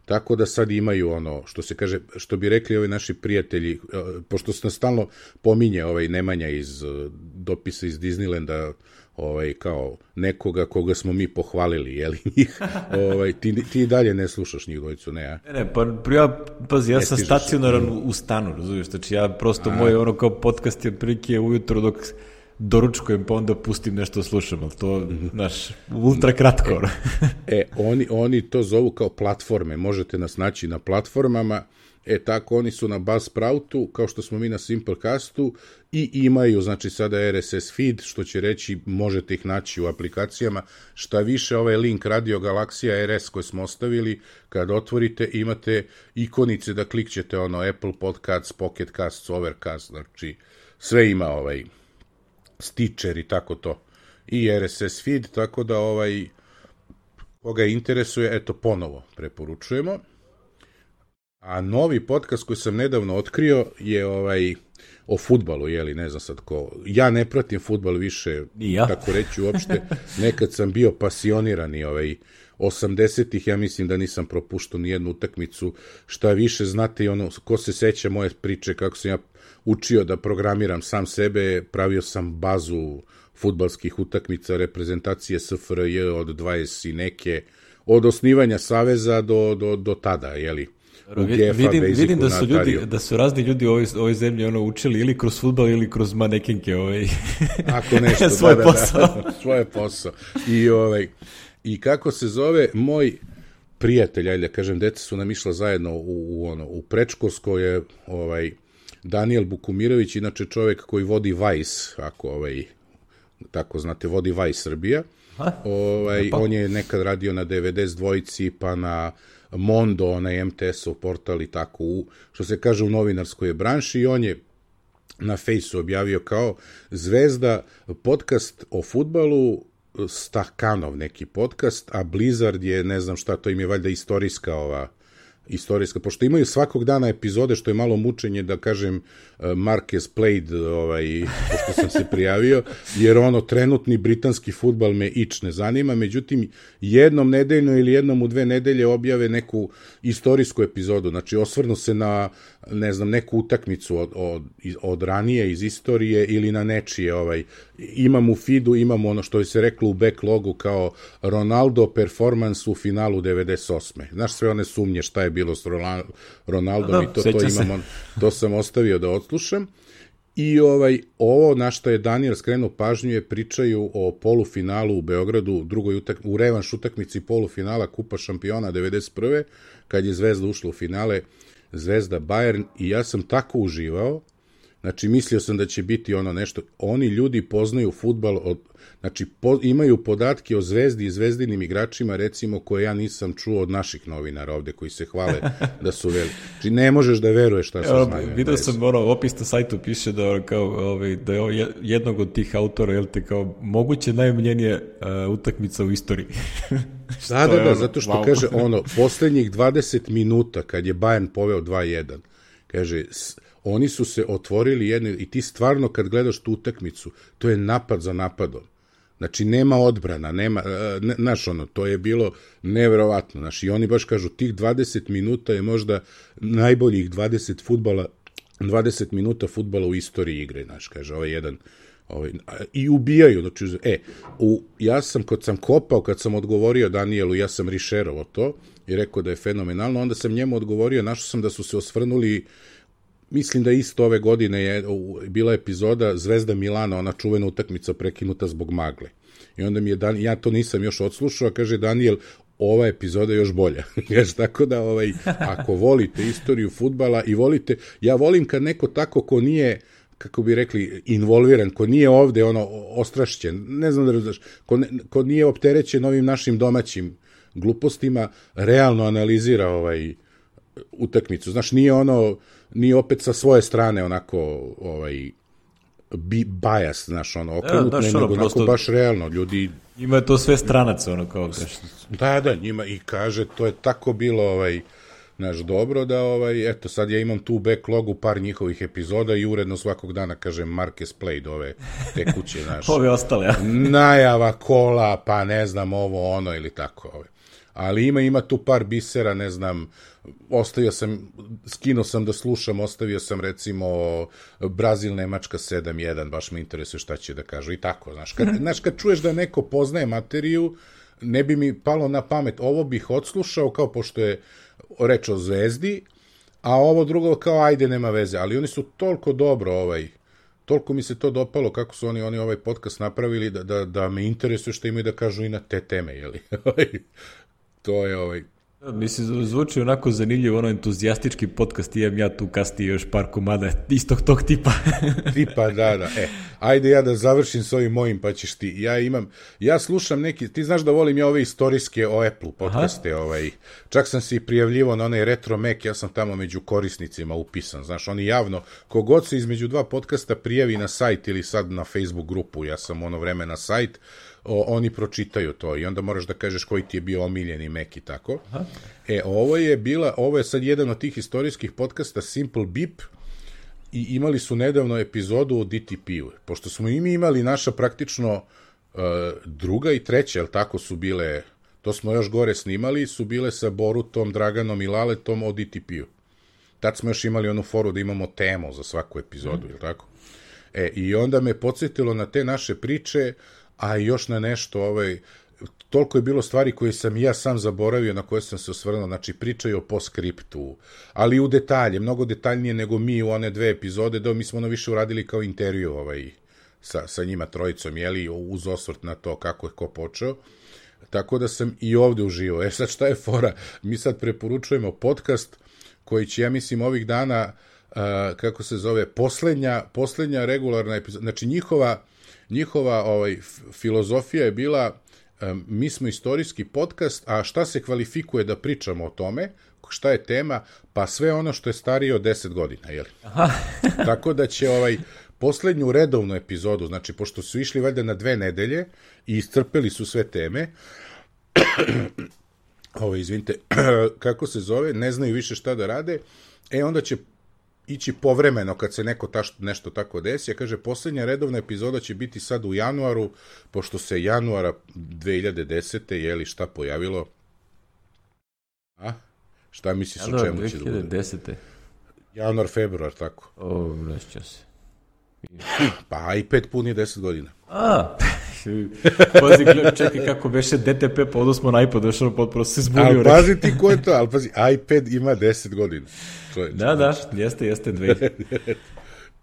Tako da sad imaju ono, što se kaže, što bi rekli ovi naši prijatelji, pošto se stalno pominje ovaj Nemanja iz dopisa iz Disneylanda, ovaj, kao nekoga koga smo mi pohvalili, jeli njih, ovaj, ti, ti dalje ne slušaš njih dvojicu, ne, a? Ne, ne, pa ja, pazi, ja sam stacionaran u stanu, razumiješ, znači ja prosto, a, moj ono kao podcast je prilike ujutro dok doručkujem, pa onda pustim nešto slušam, ali to, znaš, ultra kratko. E, e oni, oni to zovu kao platforme, možete nas naći na platformama, e tako oni su na Buzzsproutu, kao što smo mi na Simplecastu, i imaju, znači sada R S S feed, što će reći možete ih naći u aplikacijama, šta više ovaj link Radio Galaksija R S koji smo ostavili, kad otvorite imate ikonice da klikćete ono Apple Podcasts, Pocket Casts, Overcast, znači sve ima ovaj Stitcher i tako to, i R S S feed, tako da ovaj koga interesuje, eto ponovo preporučujemo. A novi podcast koji sam nedavno otkrio je ovaj o fudbalu, jeli, ne znam sad ko. Ja ne pratim fudbal više, ja. tako reći uopšte. Nekad sam bio pasionirani ovaj osamdesetih, ja mislim da nisam propuštao ni jednu utakmicu. Šta više, znate i ono, ko se seća moje priče, kako sam ja učio da programiram sam sebe, pravio sam bazu fudbalskih utakmica, reprezentacije S F R J od dvadeset i neke, od osnivanja saveza do, do, do tada, jeli. Vidim, vidim da su ljudi, da su razni ljudi u ovoj, ovoj zemlji ono učili ili kroz fudbal ili kroz manekenke ovaj. Ako nešto, svoj da, posao. Da, da, svoj posao. I ovaj i kako se zove moj prijatelj, ajde da kažem, deca su nam išla zajedno u, u ono u predškolsko je ovaj Daniel Bukumirović, inače čovjek koji vodi Vice, ako ovaj tako znate, vodi Vice Srbija. Ovaj on je nekad radio na D V D s dvojici, pa na Mondo, onaj M T S-ov portal i tako, u, što se kaže u novinarskoj branši, i on je na Fejsu objavio kao Zvezda podcast o fudbalu, Stakanov neki podcast, a Blizzard je, ne znam šta, to im je valjda istorijska ova istorijska, pošto imaju svakog dana epizode, što je malo mučenje, da kažem, Marquez played, ovaj, pošto sam se prijavio, jer ono, trenutni britanski fudbal me ič ne zanima, međutim, jednom nedeljno ili jednom u dve nedelje objave neku istorijsku epizodu, znači osvrnu se na, ne znam, neku utakmicu od, od, od ranije, iz istorije, ili na nečije, ovaj, imam u feedu, imam ono što je se reklo u backlogu kao Ronaldo performance u finalu devedeset osme. Znaš, sve one sumnje šta je bilo s Ronaldom, da, i to, to imamo, to sam ostavio da odslušam. I ovaj, ovo na što je Daniel skrenuo pažnju je pričaju o polufinalu u Beogradu, drugoj utak, u revanš utakmici polufinala Kupa šampiona devedeset prve kad je Zvezda ušla u finale, Zvezda Bayern, i ja sam tako uživao. Znači, mislio sam da će biti ono nešto, oni ljudi poznaju fudbal, od, znači, po, imaju podatke o Zvezdi i zvezdinim igračima, recimo, koje ja nisam čuo od naših novinara ovde, koji se hvale da su veli. Znači, ne možeš da veruješ šta se znaju. Vidio sam, ono, opis na sajtu piše da, kao, ovaj, da je jednog od tih autora, jel te, kao moguće najomiljenije uh, utakmica u istoriji. Da, da, da, zato što, wow, kaže, ono, poslednjih dvadeset minuta, kad je Bayern poveo dva jedan, kaže, oni su se otvorili jedne, i ti stvarno kad gledaš tu utakmicu, to je napad za napadom. Znači, nema odbrana, nema, ne, znaš, ono, to je bilo neverovatno. Znači, i oni baš kažu, tih dvadeset minuta je možda najboljih dvadeset fudbala, dvadeset minuta fudbala u istoriji igre, znaš, kaže, ovaj jedan, ovaj, i ubijaju, znači, e, u, ja sam, kad sam kopao, kad sam odgovorio Danielu, ja sam rišerovo to, i rekao da je fenomenalno, onda sam njemu odgovorio, našao sam da su se osvrnuli, mislim da isto ove godine je bila epizoda Zvezda Milana, ona čuvena utakmica prekinuta zbog magle. I onda mi je, Dan, ja to nisam još odslušao, kaže Daniel, ova epizoda je još bolja. Kaže, tako da, ovaj, ako volite istoriju fudbala i volite, ja volim kad neko tako ko nije, kako bi rekli, involviran, ko nije ovde ono ostrašćen, ne znam da razumeš, ko, ne, ko nije opterećen ovim našim domaćim glupostima, realno analizira ovaj utakmicu. Znaš, nije ono, nije opet sa svoje strane onako ovaj bi bias, znaš, ono, okrenut, ja, ne, nego ono, onako baš realno, ljudi... Ima to sve stranaca, ono, kao... Da, da, njima, i kaže, to je tako bilo, ovaj, znaš, dobro da, ovaj, eto, sad ja imam tu u backlogu par njihovih epizoda i uredno svakog dana, kažem, Marquez played ove tekuće, znaš... Ove ostale, ja. Najava kola, pa ne znam, ovo, ono, ili tako, ovaj. Ali ima, ima tu par bisera, ne znam, ostavio sam, skinuo sam da slušam, ostavio sam recimo Brazil, Nemačka sedam jedan, baš me interesuje šta će da kažu i tako, znaš, kad, znaš, kad čuješ da neko poznaje materiju, ne bi mi palo na pamet, ovo bih odslušao kao pošto je reč o Zvezdi, a ovo drugo kao ajde nema veze, ali oni su toliko dobro ovaj toliko mi se to dopalo kako su oni, oni ovaj podcast napravili da, da, da me interesuje što imaju da kažu i na te teme, jeli? To je ovaj... Mislim, zvuči onako zanimljivo, ono entuzijastički podcast, imam ja tu kasnije još par komada istog tog tipa. Tipa, da, da. E, ajde ja da završim s ovim mojim, pa ćeš ti. Ja imam, ja slušam neki, ti znaš da volim ja ove istorijske o Apple podcaste, Aha. ovaj, čak sam se i prijavljivo na onaj Retro Mac, ja sam tamo među korisnicima upisan, znaš, oni javno, kogod se između dva podcasta prijavi na sajt ili sad na Facebook grupu, ja sam ono vreme na sajt, O, oni pročitaju to i onda moraš da kažeš koji ti je bio omiljeni Mac i tako. Aha. E, ovo je bila, ovo je sad jedan od tih istorijskih podcasta Simple Beep i imali su nedavno epizodu o D T P-u. Pošto smo i mi imali naša praktično uh, druga i treća, jel tako su bile, to smo još gore snimali, su bile sa Borutom, Draganom i Laletom o D T P-u. Tad smo još imali onu foru da imamo temu za svaku epizodu, mm. jel tako? E, i onda me podsjetilo na te naše priče, a još na nešto, ovaj, toliko je bilo stvari koje sam ja sam zaboravio, na koje sam se osvrnuo, znači pričaju o postskriptu, ali u detalje, mnogo detaljnije nego mi u one dve epizode, da mi smo ono više uradili kao intervju ovaj, sa, sa njima trojicom, jeli, uz osvrt na to kako je ko počeo, tako da sam i ovde uživao. E sad šta je fora? Mi sad preporučujemo podcast koji će, ja mislim, ovih dana, uh, kako se zove, poslednja, poslednja regularna epizoda, znači njihova Njihova ovaj, filozofija je bila, um, mi smo istorijski podcast, a šta se kvalifikuje da pričamo o tome, šta je tema, pa sve ono što je starije od deset godina, jel? Aha. Tako da će ovaj, poslednju redovnu epizodu, znači pošto su išli valjda na dve nedelje i iscrpeli su sve teme, ovo, izvinite, kako se zove, ne znaju više šta da rade, e onda će ići povremeno kad se neko taš, nešto tako desi, a kaže, poslednja redovna epizoda će biti sad u januaru, pošto se januara dve hiljade desete je li šta pojavilo? A? Šta misliš o čemu će da bude? dve hiljade desete Januar, februar, tako. O, vraćao se. Pa iPad puni deset godina. A, pazi, čekaj kako beše D T P, pa odo smo na iPad, došao potpuno se zbunio. Ali pazi ti ko je to, ali pazi, iPad ima deset godina. Čovječ, da, da, jeste, jeste dve.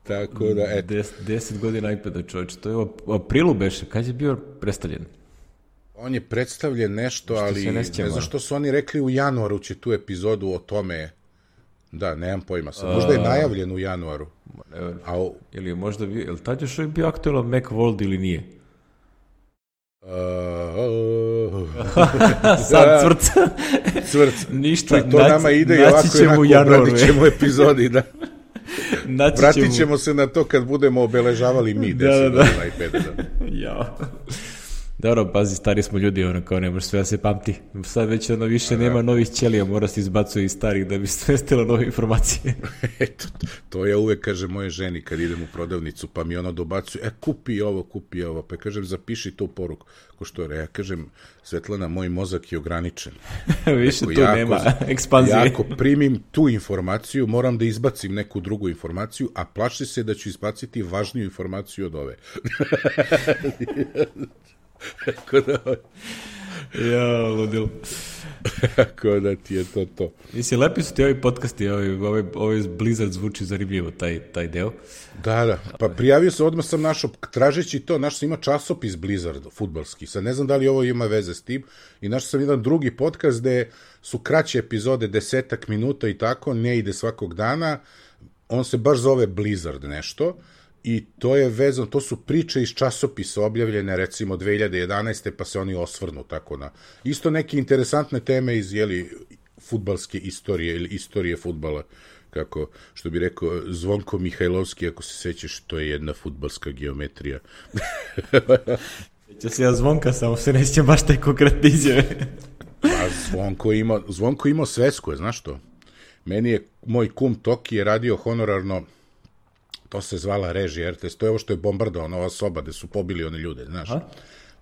Tako da, eto. Des, deset godina iPada, čovječ, to je u aprilu beše, kad je bio predstavljen? On je predstavljen nešto, ali ne, ne znam što su oni rekli u januaru će tu epizodu o tome. Da, nemam pojma sam. Možda je najavljen u januaru. Ne, a o... Ili je možda bio, je li tad još bio aktualan Macworld ili nije? Uh, Sad cvrc. Cvrc. Ništa. To naći, nama ide i ovako i onako obratit ćemo epizodi. Da. Vratit ćemo... ćemo se na to kad budemo obeležavali mi deset da, da, godina iPada. Da. Jao. Dobro, pazi, stari smo ljudi, ono kao ne može sve da se pamti. Sad već ono više nema novih ćelija, mora se izbacuje iz starih da bi svestilo nove informacije. Eto, to ja uvek kažem moje ženi kad idem u prodavnicu, pa mi ono dobacuje, e, kupi ovo, kupi ovo, pa kažem, zapiši tu poruku. Ko što je, ja kažem, Svetlana, moj mozak je ograničen. Više tu jako, nema ekspanzije. Ja ako primim tu informaciju, moram da izbacim neku drugu informaciju, a plaši se da ću izbaciti važniju informaciju od ove. Tako da... Ja, ludilo. Tako da ti je to to. Mislim, lepi su ti ovi podcasti, ovaj, ovaj, ovaj Blizzard zvuči zanimljivo, taj, taj deo. Da, da, pa prijavio se, odmah sam našao, tražeći to, našao sam ima časopis Blizzard, fudbalski, sad ne znam da li ovo ima veze s tim, i našao sam jedan drugi podcast gde su kraće epizode, desetak minuta i tako, ne ide svakog dana, on se baš zove Blizzard nešto, i to je vezano, to su priče iz časopisa objavljene recimo dve hiljade jedanaeste pa se oni osvrnu tako na isto neke interesantne teme iz jeli fudbalske istorije ili istorije fudbala, kako što bi rekao Zvonko Mihajlovski, ako se sećaš, to je jedna fudbalska geometrija. Seća se ja Zvonka, samo se ne sjećam baš taj konkretne izjave. Pa Zvonko ima, Zvonko imao svesku, znaš to? Meni je moj kum Toki je radio honorarno, to se zvala režija R T S, to je ovo što je bombardovano, ova soba gde su pobili one ljude, znaš.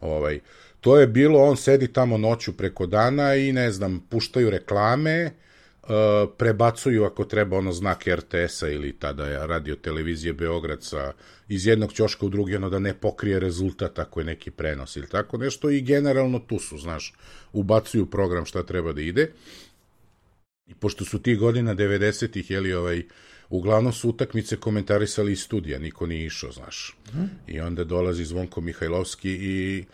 Ovaj, to je bilo, on sedi tamo noću preko dana i, ne znam, puštaju reklame, uh, prebacuju ako treba ono znak R T S-a ili tada je radio televizije Beograd sa, iz jednog ćoška u drugi, ono da ne pokrije rezultat ako je neki prenos ili tako nešto, i generalno tu su, znaš, ubacuju program šta treba da ide. I pošto su ti godina devedesetih, jeli, ovaj, uglavnom su utakmice komentarisali iz studija, niko nije išao, znaš. Mm. I onda dolazi Zvonko Mihajlovski i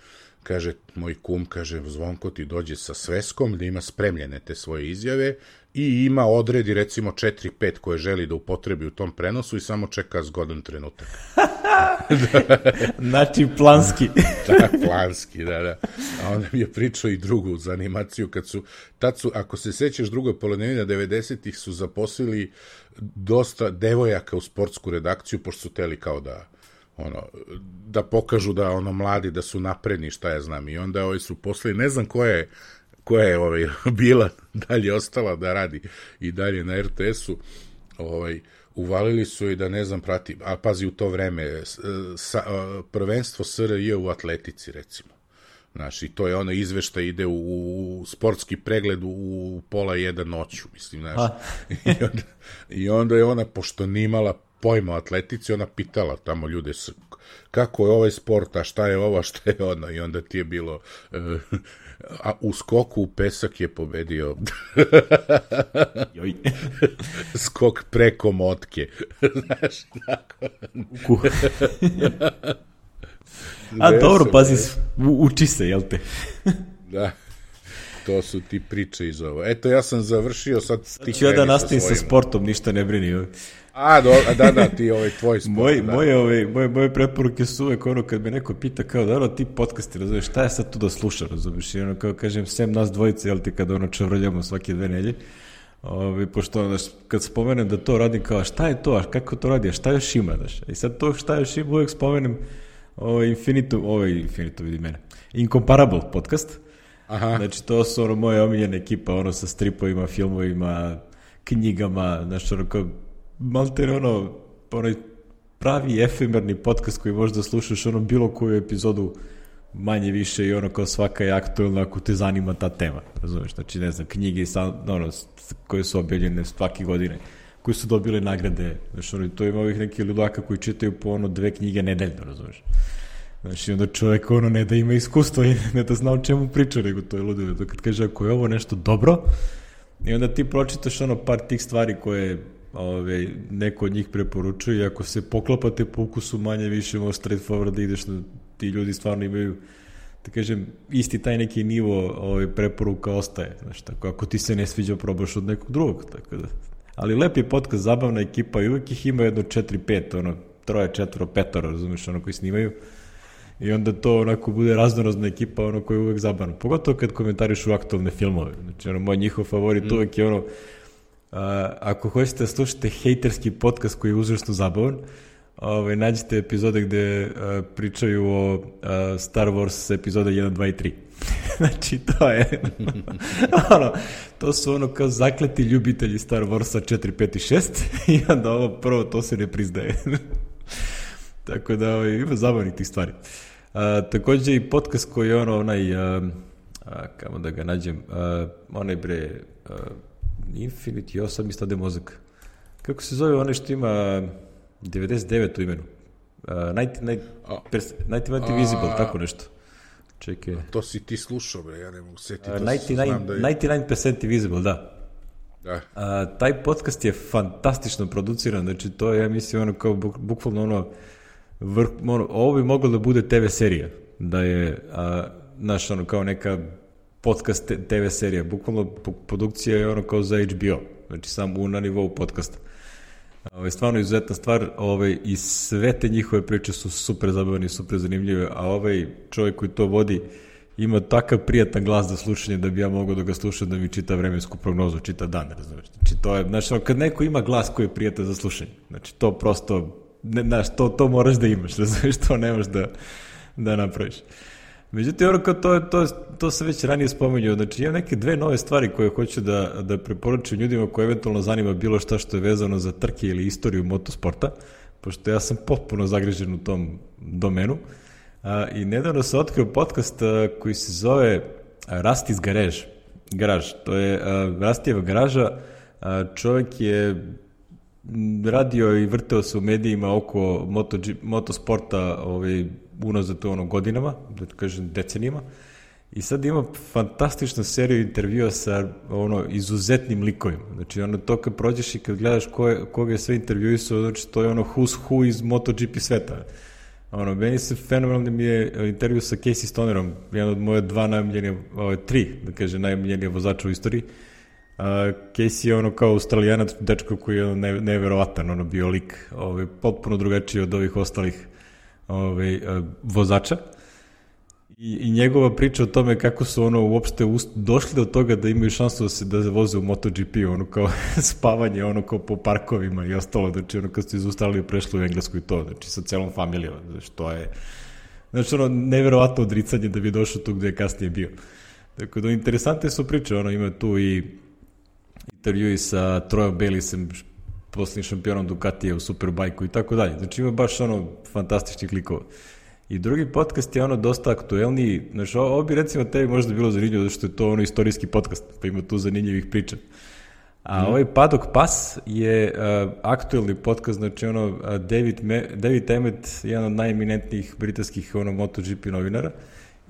kaže, moj kum, kaže, Zvonko ti dođe sa sveskom da ima spremljene te svoje izjave i ima odredi recimo četiri pet koje želi da upotrebi u tom prenosu i samo čeka zgodan trenutak. Znači planski. Da, planski, da, da. A onda mi je pričao i drugu za animaciju, kad su, tad su, ako se sećaš, drugoj polovini devedesetih su zaposlili dosta devojaka u sportsku redakciju, pošto su teli kao da ono, da pokažu da ono mladi, da su napredni, šta ja znam. I onda ovi su poslali, ne znam koja je, koja je ovaj, bila dalje ostala da radi i dalje na er te esu, ovaj, uvalili su i da ne znam prati, a pazi u to vreme, sa, prvenstvo es er je u atletici recimo. Znaš, i to je ono izveštaj, ide u, u sportski pregled u, u pola jedan noću, mislim, znaš. I onda, I onda je ona, pošto nimala pojma o atletici, ona pitala tamo ljude kako je ovaj sport, a šta je ovo, šta je ono, i onda ti je bilo uh, a u skoku u pesak je pobedio skok preko motke. Znaš, tako. A dobro, pazi, uči se, jel te? Da. To su ti priče iz ovo. Eto, ja sam završio sad... Sad ću ja da nastavim sa sportom, ništa ne brini. A, do, da, da, ti ovaj tvoj sport. Moj, da. Moje, ove, moje, moje preporuke su uvek ono, kad me neko pita kao, da ono, ti podcasti, razumiješ, šta je sad tu da sluša, razumiješ, i ono, kao kažem, sem nas dvojice, jel ti, kada ono čevrljamo svake dve nelje, ove, pošto, ono, kad spomenem da to radim, kao, šta je to, a kako to radi, a šta još ima, znaš, i sad to šta još ima, uvek spomenem ovaj Infinitum, ovaj Infinitum, vidi mene, Incomparable podcast. Aha. Znači, to su ono moje omiljene ekipa, ono sa stripovima, filmovima, knjigama, znači, ono kao, malter, ono, onaj pravi efemerni podcast koji možda slušaš, ono, bilo koju epizodu manje više i ono kao svaka je aktualna ako te zanima ta tema, razumiješ, znači, ne znam, knjige ono, koje su objavljene svake godine, koji su dobile nagrade, znači, ono, to ima ovih nekih ludaka koji čitaju po ono dve knjige nedeljno, razumiješ. Znači, onda čovjek ono ne da ima iskustvo i ne da zna o čemu priča, nego to je ludilo. Da kad kaže ako je ovo nešto dobro, i onda ti pročitaš ono par tih stvari koje ove, neko od njih preporučuje i ako se poklapate po ukusu manje više možeš straight forward da ideš, da ti ljudi stvarno imaju, da kažem, isti taj neki nivo ove, preporuka ostaje. Znači, tako, ako ti se ne sviđa, probaš od nekog drugog. Tako da. Ali lep je podcast, zabavna ekipa i uvijek ih ima jedno četiri pet, ono, troje, četvoro, petoro, razumiješ, ono koji snimaju. I onda to onako bude raznorazna ekipa, ono koja je uvek zabavno. Pogotovo kad komentarišu aktualne filmove. Znači, ono, moj njihov favorit mm. uvek je ono, a, ako hoćete da slušate hejterski podcast koji je užasno zabavan, ovaj, nađite epizode gde a, pričaju o a, Star Wars epizode jedan, dva i tri. Znači, to je, ono, to su ono kao zakleti ljubitelji Star Warsa četiri, pet i šest i onda ovo prvo, to se ne priznaje. Tako da ovaj, ima zabavnih tih stvari. A, također i podcast koji je ono onaj, a, a, kamo da ga nađem, a, onaj bre, a, Infinity, jo, sad mi stade mozak. Kako se zove onaj što ima devedeset devet u imenu? devedeset Visible, tako nešto. Čekaj. To si ti slušao, bre, ja ne mogu setiti. devedeset devet, da je... devedeset devet posto Visible, da. Da. A, taj podcast je fantastično produciran, znači to je, ja mislim, ono kao buk, bukvalno ono, vrh, ono, ovo bi moglo da bude te ve serija, da je, a, naš, ono, kao neka podcast te ve serija, bukvalno produkcija je ono kao za H B O, znači sam u na nivou podcasta. Ovo je stvarno izuzetna stvar, ovaj, i sve te njihove priče su super zabavne i super zanimljive, a ovaj čovjek koji to vodi ima takav prijatan glas za slušanje da bi ja mogao da ga slušam, da mi čita vremensku prognozu, čita dan, razumiješ. Znači, to je, znači, kad neko ima glas koji je prijatan za slušanje, znači, to prosto, ne, znaš, to, to moraš da imaš, razumiješ, to nemaš da, da napraviš. Međutim, ono kao to, to, to se već ranije spomenuo, znači, imam neke dve nove stvari koje hoću da, da preporučim ljudima koji eventualno zanima bilo šta što je vezano za trke ili istoriju motosporta, pošto ja sam potpuno zagrežen u tom domenu. A, i nedavno se otkrio podcast a, koji se zove Rusty's Garage. Garage. To je Rustijeva garaža. A, čovjek je radio i vrteo se u medijima oko moto, motosporta ovaj, unazad ono godinama, da kažem decenijama. I sad ima fantastičnu seriju intervjua sa ono izuzetnim likovima. Znači ono to kad prođeš i kad gledaš ko je, koga je sve intervjuisao, znači to je ono who's who iz MotoGP sveta. Ono, meni se fenomenalno mi je intervju sa Casey Stonerom, jedan od moje dva najomiljenija, ovaj, tri, da kaže, najomiljenija vozača u istoriji. Uh, Casey je ono kao Australijanac, dečko koji je ono ne, neverovatan, ono bio lik, ovaj, potpuno drugačiji od ovih ostalih ovaj, uh, vozača. I, I njegova priča o tome kako su ono uopšte ust, došli do toga da imaju šansu da se da voze u MotoGP, ono kao spavanje, ono kao po parkovima i ostalo, znači ono kad su iz Australije prešli u Englesku i to, znači sa celom familijom, znači to je, znači ono neverovatno odricanje da bi došao tu gde je kasnije bio. Tako da interesantne su priče, ono ima tu i intervjui sa Troyom Baylisem, posljednjim šampionom Ducatija u Superbajku i tako dalje, znači ima baš ono fantastičnih likova. I drugi podcast je ono dosta aktuelniji, znači ovo bi recimo tebi možda bilo zanimljivo zato što je to ono istorijski podcast, pa ima tu zanimljivih priča. A mm. ovaj Paddock Pass je uh, aktuelni podcast, znači ono uh, David, Me, David Emmett, jedan od najeminentnijih britanskih ono MotoGP novinara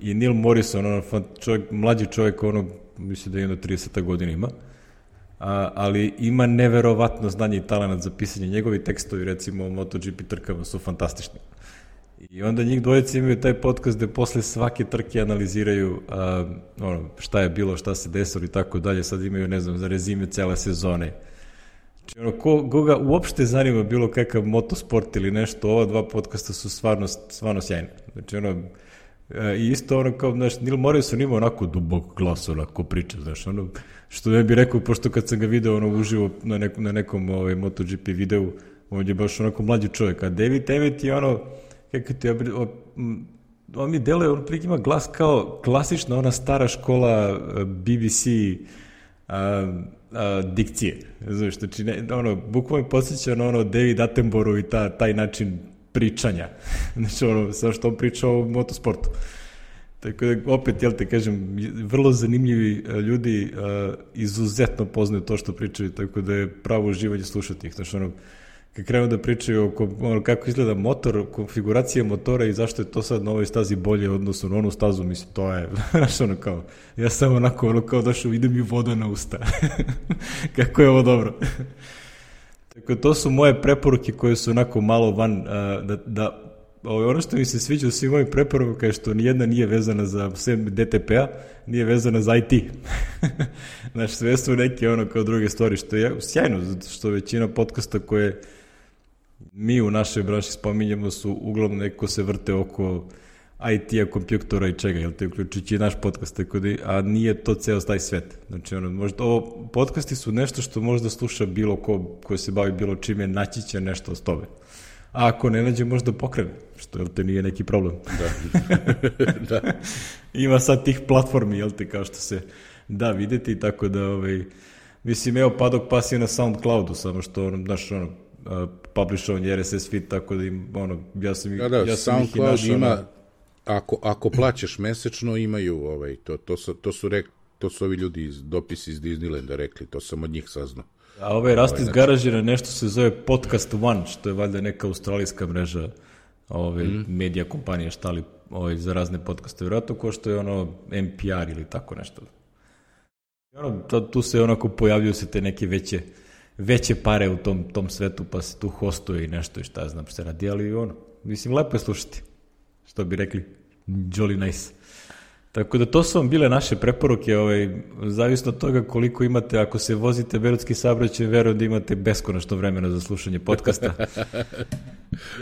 i Neil Morrison, ono čovjek, mlađi čovjek, ono mislim da je jedno trideset godina ima, uh, ali ima neverovatno znanje i talent za pisanje. Njegovi tekstovi recimo o MotoGP trkama su fantastični. I onda njih dvojice imaju taj podcast gde posle svake trke analiziraju uh, ono, šta je bilo, šta se desilo i tako dalje. Sad imaju, ne znam, za rezime cele sezone. Znači, ono, ko, koga uopšte zanima bilo kakav motosport ili nešto, ova dva podcasta su stvarno, stvarno sjajne. Znači, ono, uh, i isto ono kao, znaš, Neil Morrison ima onako dubok glas, onako priča, znaš, ono, što ne bi rekao, pošto kad sam ga video ono, uživo na nekom, na nekom ovaj, MotoGP videu, on je baš onako mlađi čovjek, a David Emmett je ono, kako ti, on mi deluje, on prik ima glas kao klasična ona stara škola B B C a, a, dikcije, znaš, znači, ne, ono, bukvalno podsjeća na ono David Attenborough i ta, taj način pričanja, znači, ono, samo što on priča o motosportu. Tako da, opet, jel te kažem, vrlo zanimljivi ljudi, a, izuzetno poznaju to što pričaju, tako da je pravo uživanje slušati ih, znači, ono, kad krenu da pričaju oko ono, kako izgleda motor, konfiguracija motora i zašto je to sad na ovoj stazi bolje odnosno na onu stazu, mislim, to je, znaš, ono kao, ja sam onako, ono kao došao, ide mi voda na usta. Kako je ovo dobro. Tako, to su moje preporuke koje su onako malo van, a, da, da ono što mi se sviđa u svim mojim preporuka je što nijedna nije vezana za D T P-a, nije vezana za I T. Znaš, sve su neke ono kao druge stvari, što je sjajno, zato što većina podcasta koje mi u našoj branši spominjemo su uglavnom neko se vrte oko I T-a, kompjutora i čega, jel te uključujući i naš podcast, tako da, a nije to ceo taj svet. Znači, ono, možda, ovo, podcasti su nešto što možda sluša bilo ko koji se bavi bilo čime, naći će nešto od tobe. A ako ne nađe, možda pokrene, što, jel te, nije neki problem. Da. Da. Ima sad tih platformi, jel te, kao što se da videti, tako da, ovaj, mislim, evo, Paddock Pass je na SoundCloudu, samo što, ono, znaš, ono, uh, publishovan je R S S feed, tako da im, ono, ja sam, da, da, ja sam SoundCloud ih i našao, ima, ako, ako plaćaš mesečno, imaju, ovaj, to, to, su, to, su rek, to su ovi ljudi iz dopisi iz Disneylanda rekli, to sam od njih saznao. A ovaj Rasti iz garažira nešto se zove Podcast One, što je valjda neka australijska mreža ove, mm. medija kompanije štali ovaj, za razne podcaste. Vjerojatno ko što je ono N P R ili tako nešto. I ono, tu se onako pojavljuju se te neke veće, veće pare u tom, tom svetu, pa se tu hostuje i nešto i šta ja znam se radi, ali ono, mislim, lepo je slušati. Što bi rekli, jolly nice. Tako da to su vam bile naše preporuke, ovaj, zavisno od toga koliko imate, ako se vozite beogradski saobraćaj, verujem da imate beskonačno vremena za slušanje podcasta.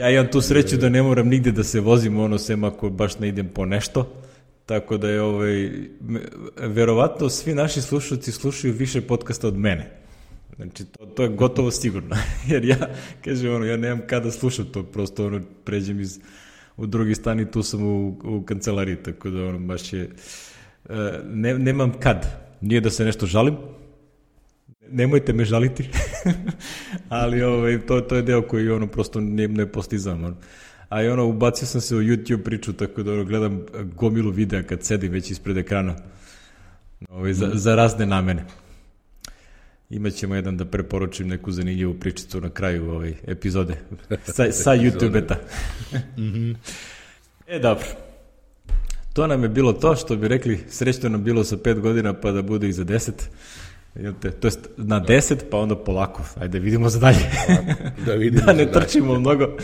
Ja imam tu sreću da ne moram nigde da se vozim, ono, sem ako baš ne idem po nešto, tako da je, ovaj, verovatno svi naši slušalci slušaju više podcasta od mene. Znači, to, to je gotovo sigurno, jer ja, kažem, ono, ja nemam kada slušam to, prosto, ono, pređem iz... u drugi stan i tu sam u, u kancelariji, tako da ono baš je, ne, nemam kad, nije da se nešto žalim, nemojte me žaliti, ali ovaj, to, to je deo koji ono prosto ne, ne postizam, ono. A i ono, ubacio sam se u YouTube priču, tako da ono, gledam gomilu videa kad sedim već ispred ekrana, ovaj, za, za razne namene. Imaćemo jedan da preporučim neku zanimljivu pričicu na kraju ove epizode sa, sa YouTube-eta. Mm-hmm. E, dobro. to nam je bilo to što bi rekli srećno nam bilo sa pet godina pa da bude i za deset. To jest na deset pa onda polako. Ajde vidimo za dalje. Da, vidimo da ne za trčimo dalje. Mnogo.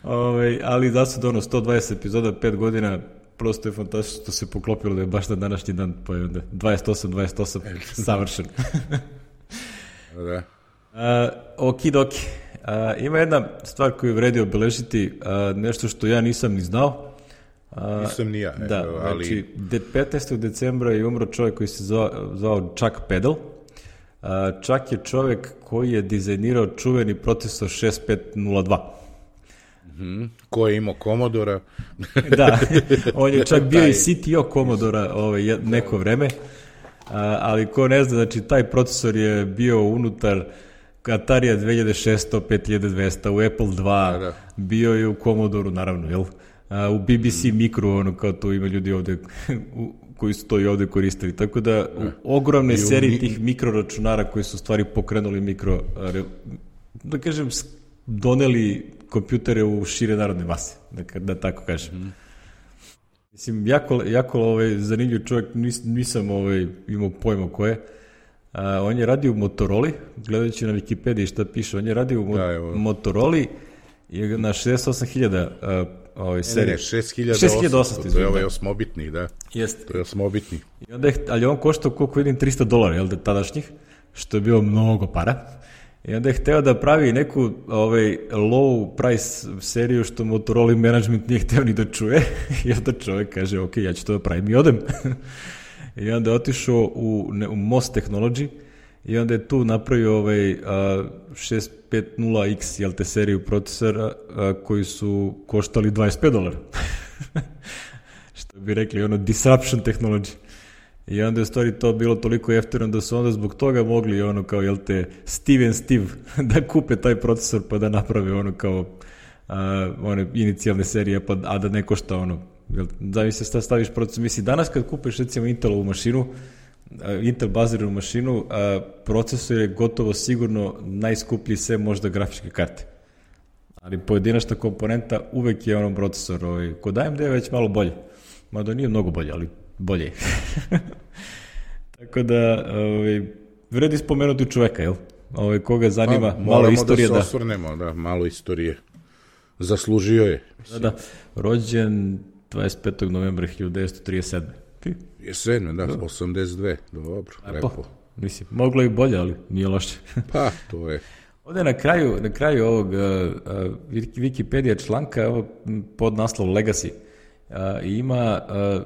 Ove, ali da su ono sto dvadeset epizoda, pet godina, prosto je fantastično što se poklopilo da je baš na današnji dan, pa je onda dvadeset osam dvadeset osam savršen. Da. Uh, okidoki. Uh, ima jedna stvar koju vredi obeležiti, uh, nešto što ja nisam ni znao. Uh, nisam ni ja. Da, evo, ali... znači petnaestog decembra je umro čovjek koji se zvao, zvao Chuck Peddle. Uh, Chuck je čovjek koji je dizajnirao čuveni procesor šest pet nula dva. Mm-hmm. Ko je imao Commodora? Da, on je čak bio i C T O Commodora ovaj, neko vreme, uh, ali ko ne zna, znači taj procesor je bio unutar Atarija dve hiljade šesto, pet hiljada dvesta, u Apple dva, da, da. Bio je u Commodoru, naravno, jel? A, u B B C Micro, ono, kao to ima ljudi ovde koji su to i ovde koristili. Tako da, u ogromne serije mi... tih mikroračunara koji su stvari pokrenuli mikro, da kažem, doneli kompjutere u šire narodne mase, da, da tako kažem. Mm. Mislim, jako, jako ovaj, zanimljiv čovjek, nis, nisam ovaj, imao pojma ko je. Uh, on je radio u Motorola, gledajući na Wikipediji šta piše, on je radio u mo- da, Motorola i na šezdeset osam hiljada uh, ovaj serije. Ne, ne, šest hiljada osamsto, to je ovaj osmobitni, da. Jeste. To je osmobitni. I onda je, ali on koštao, koliko vidim, trista dolara, jel da, tadašnjih, što je bilo mnogo para. I onda je hteo da pravi neku ovaj, low price seriju što Motorola management nije hteo ni da čuje. I onda čovjek kaže, ok, ja ću to da pravim i odem. I onda je otišao u, ne, u Most Technology i onda je tu napravio ovaj, a, šest pet nula X, jel te, seriju procesora a, koji su koštali dvadeset pet dolara. Što bi rekli, ono, disruption technology. I onda je stvari to bilo toliko jeftino da su onda zbog toga mogli, ono, kao, jel te, Steve and Steve, da kupe taj procesor pa da naprave, ono, kao, a, one inicijalne serije, pa, a da ne košta, ono, zavisi se staviš procesor. Misli, danas kad kupiš recimo Intelovu mašinu, Intel baziranu mašinu, procesor je gotovo sigurno najskuplji sve možda grafičke karte. Ali pojedinačna komponenta uvek je ono procesor. Ovaj, kod A M D je već malo bolje. Mada nije mnogo bolje, ali bolje je. Tako da, ovaj, vredi spomenuti čoveka, jel? Ovaj, koga zanima, pa, malo istorije. Moramo da se osvrnemo, da, malo istorije. Zaslužio je. Da, da, rođen dvadeset petog novembra hiljadu devetsto trideset sedme. Ti? Jesen, da, osamdeset dve, dobro, A, lepo. Po, mislim, moglo i bolje, ali nije loše. Pa, to je. Ovde na kraju, na kraju ovog uh, uh, Wikipedia članka, ovo pod naslov Legacy, uh, ima uh,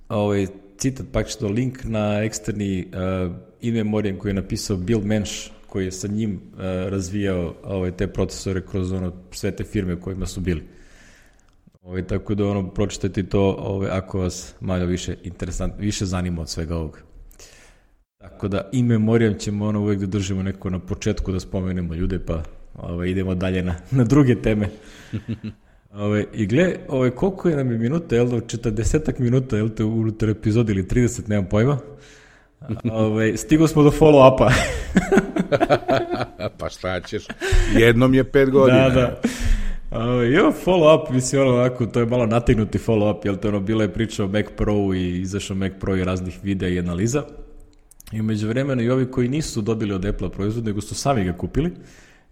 ovaj citat, pak što link na eksterni uh, in memoriam koji je napisao Bill Mensch, koji je sa njim uh, razvijao ovaj, te procesore kroz ono, sve te firme kojima su bili. Ovaj, tako da ono, pročitajte to ovaj, ako vas malo više interesant, više zanima od svega ovoga. Tako da in memoriam ćemo ono uvek da držimo neko na početku da spomenemo ljude, pa ovaj, idemo dalje na, na druge teme. Ovaj, I gle, ovaj, koliko je nam je minuta, jel da, četrdesetak minuta, jel te, unutar epizodi ili trideset, nemam pojma. Ovaj, stigo smo do follow-upa. Pa šta ćeš, jednom je pet godina. Da, da. Uh, evo follow-up, mislim, ono ovako, to je malo nategnuti follow-up, jel to ono, bila je priča o Mac Pro i izašao Mac Pro i raznih videa i analiza. I među vremena i ovi koji nisu dobili od Apple proizvod, nego su sami ga kupili,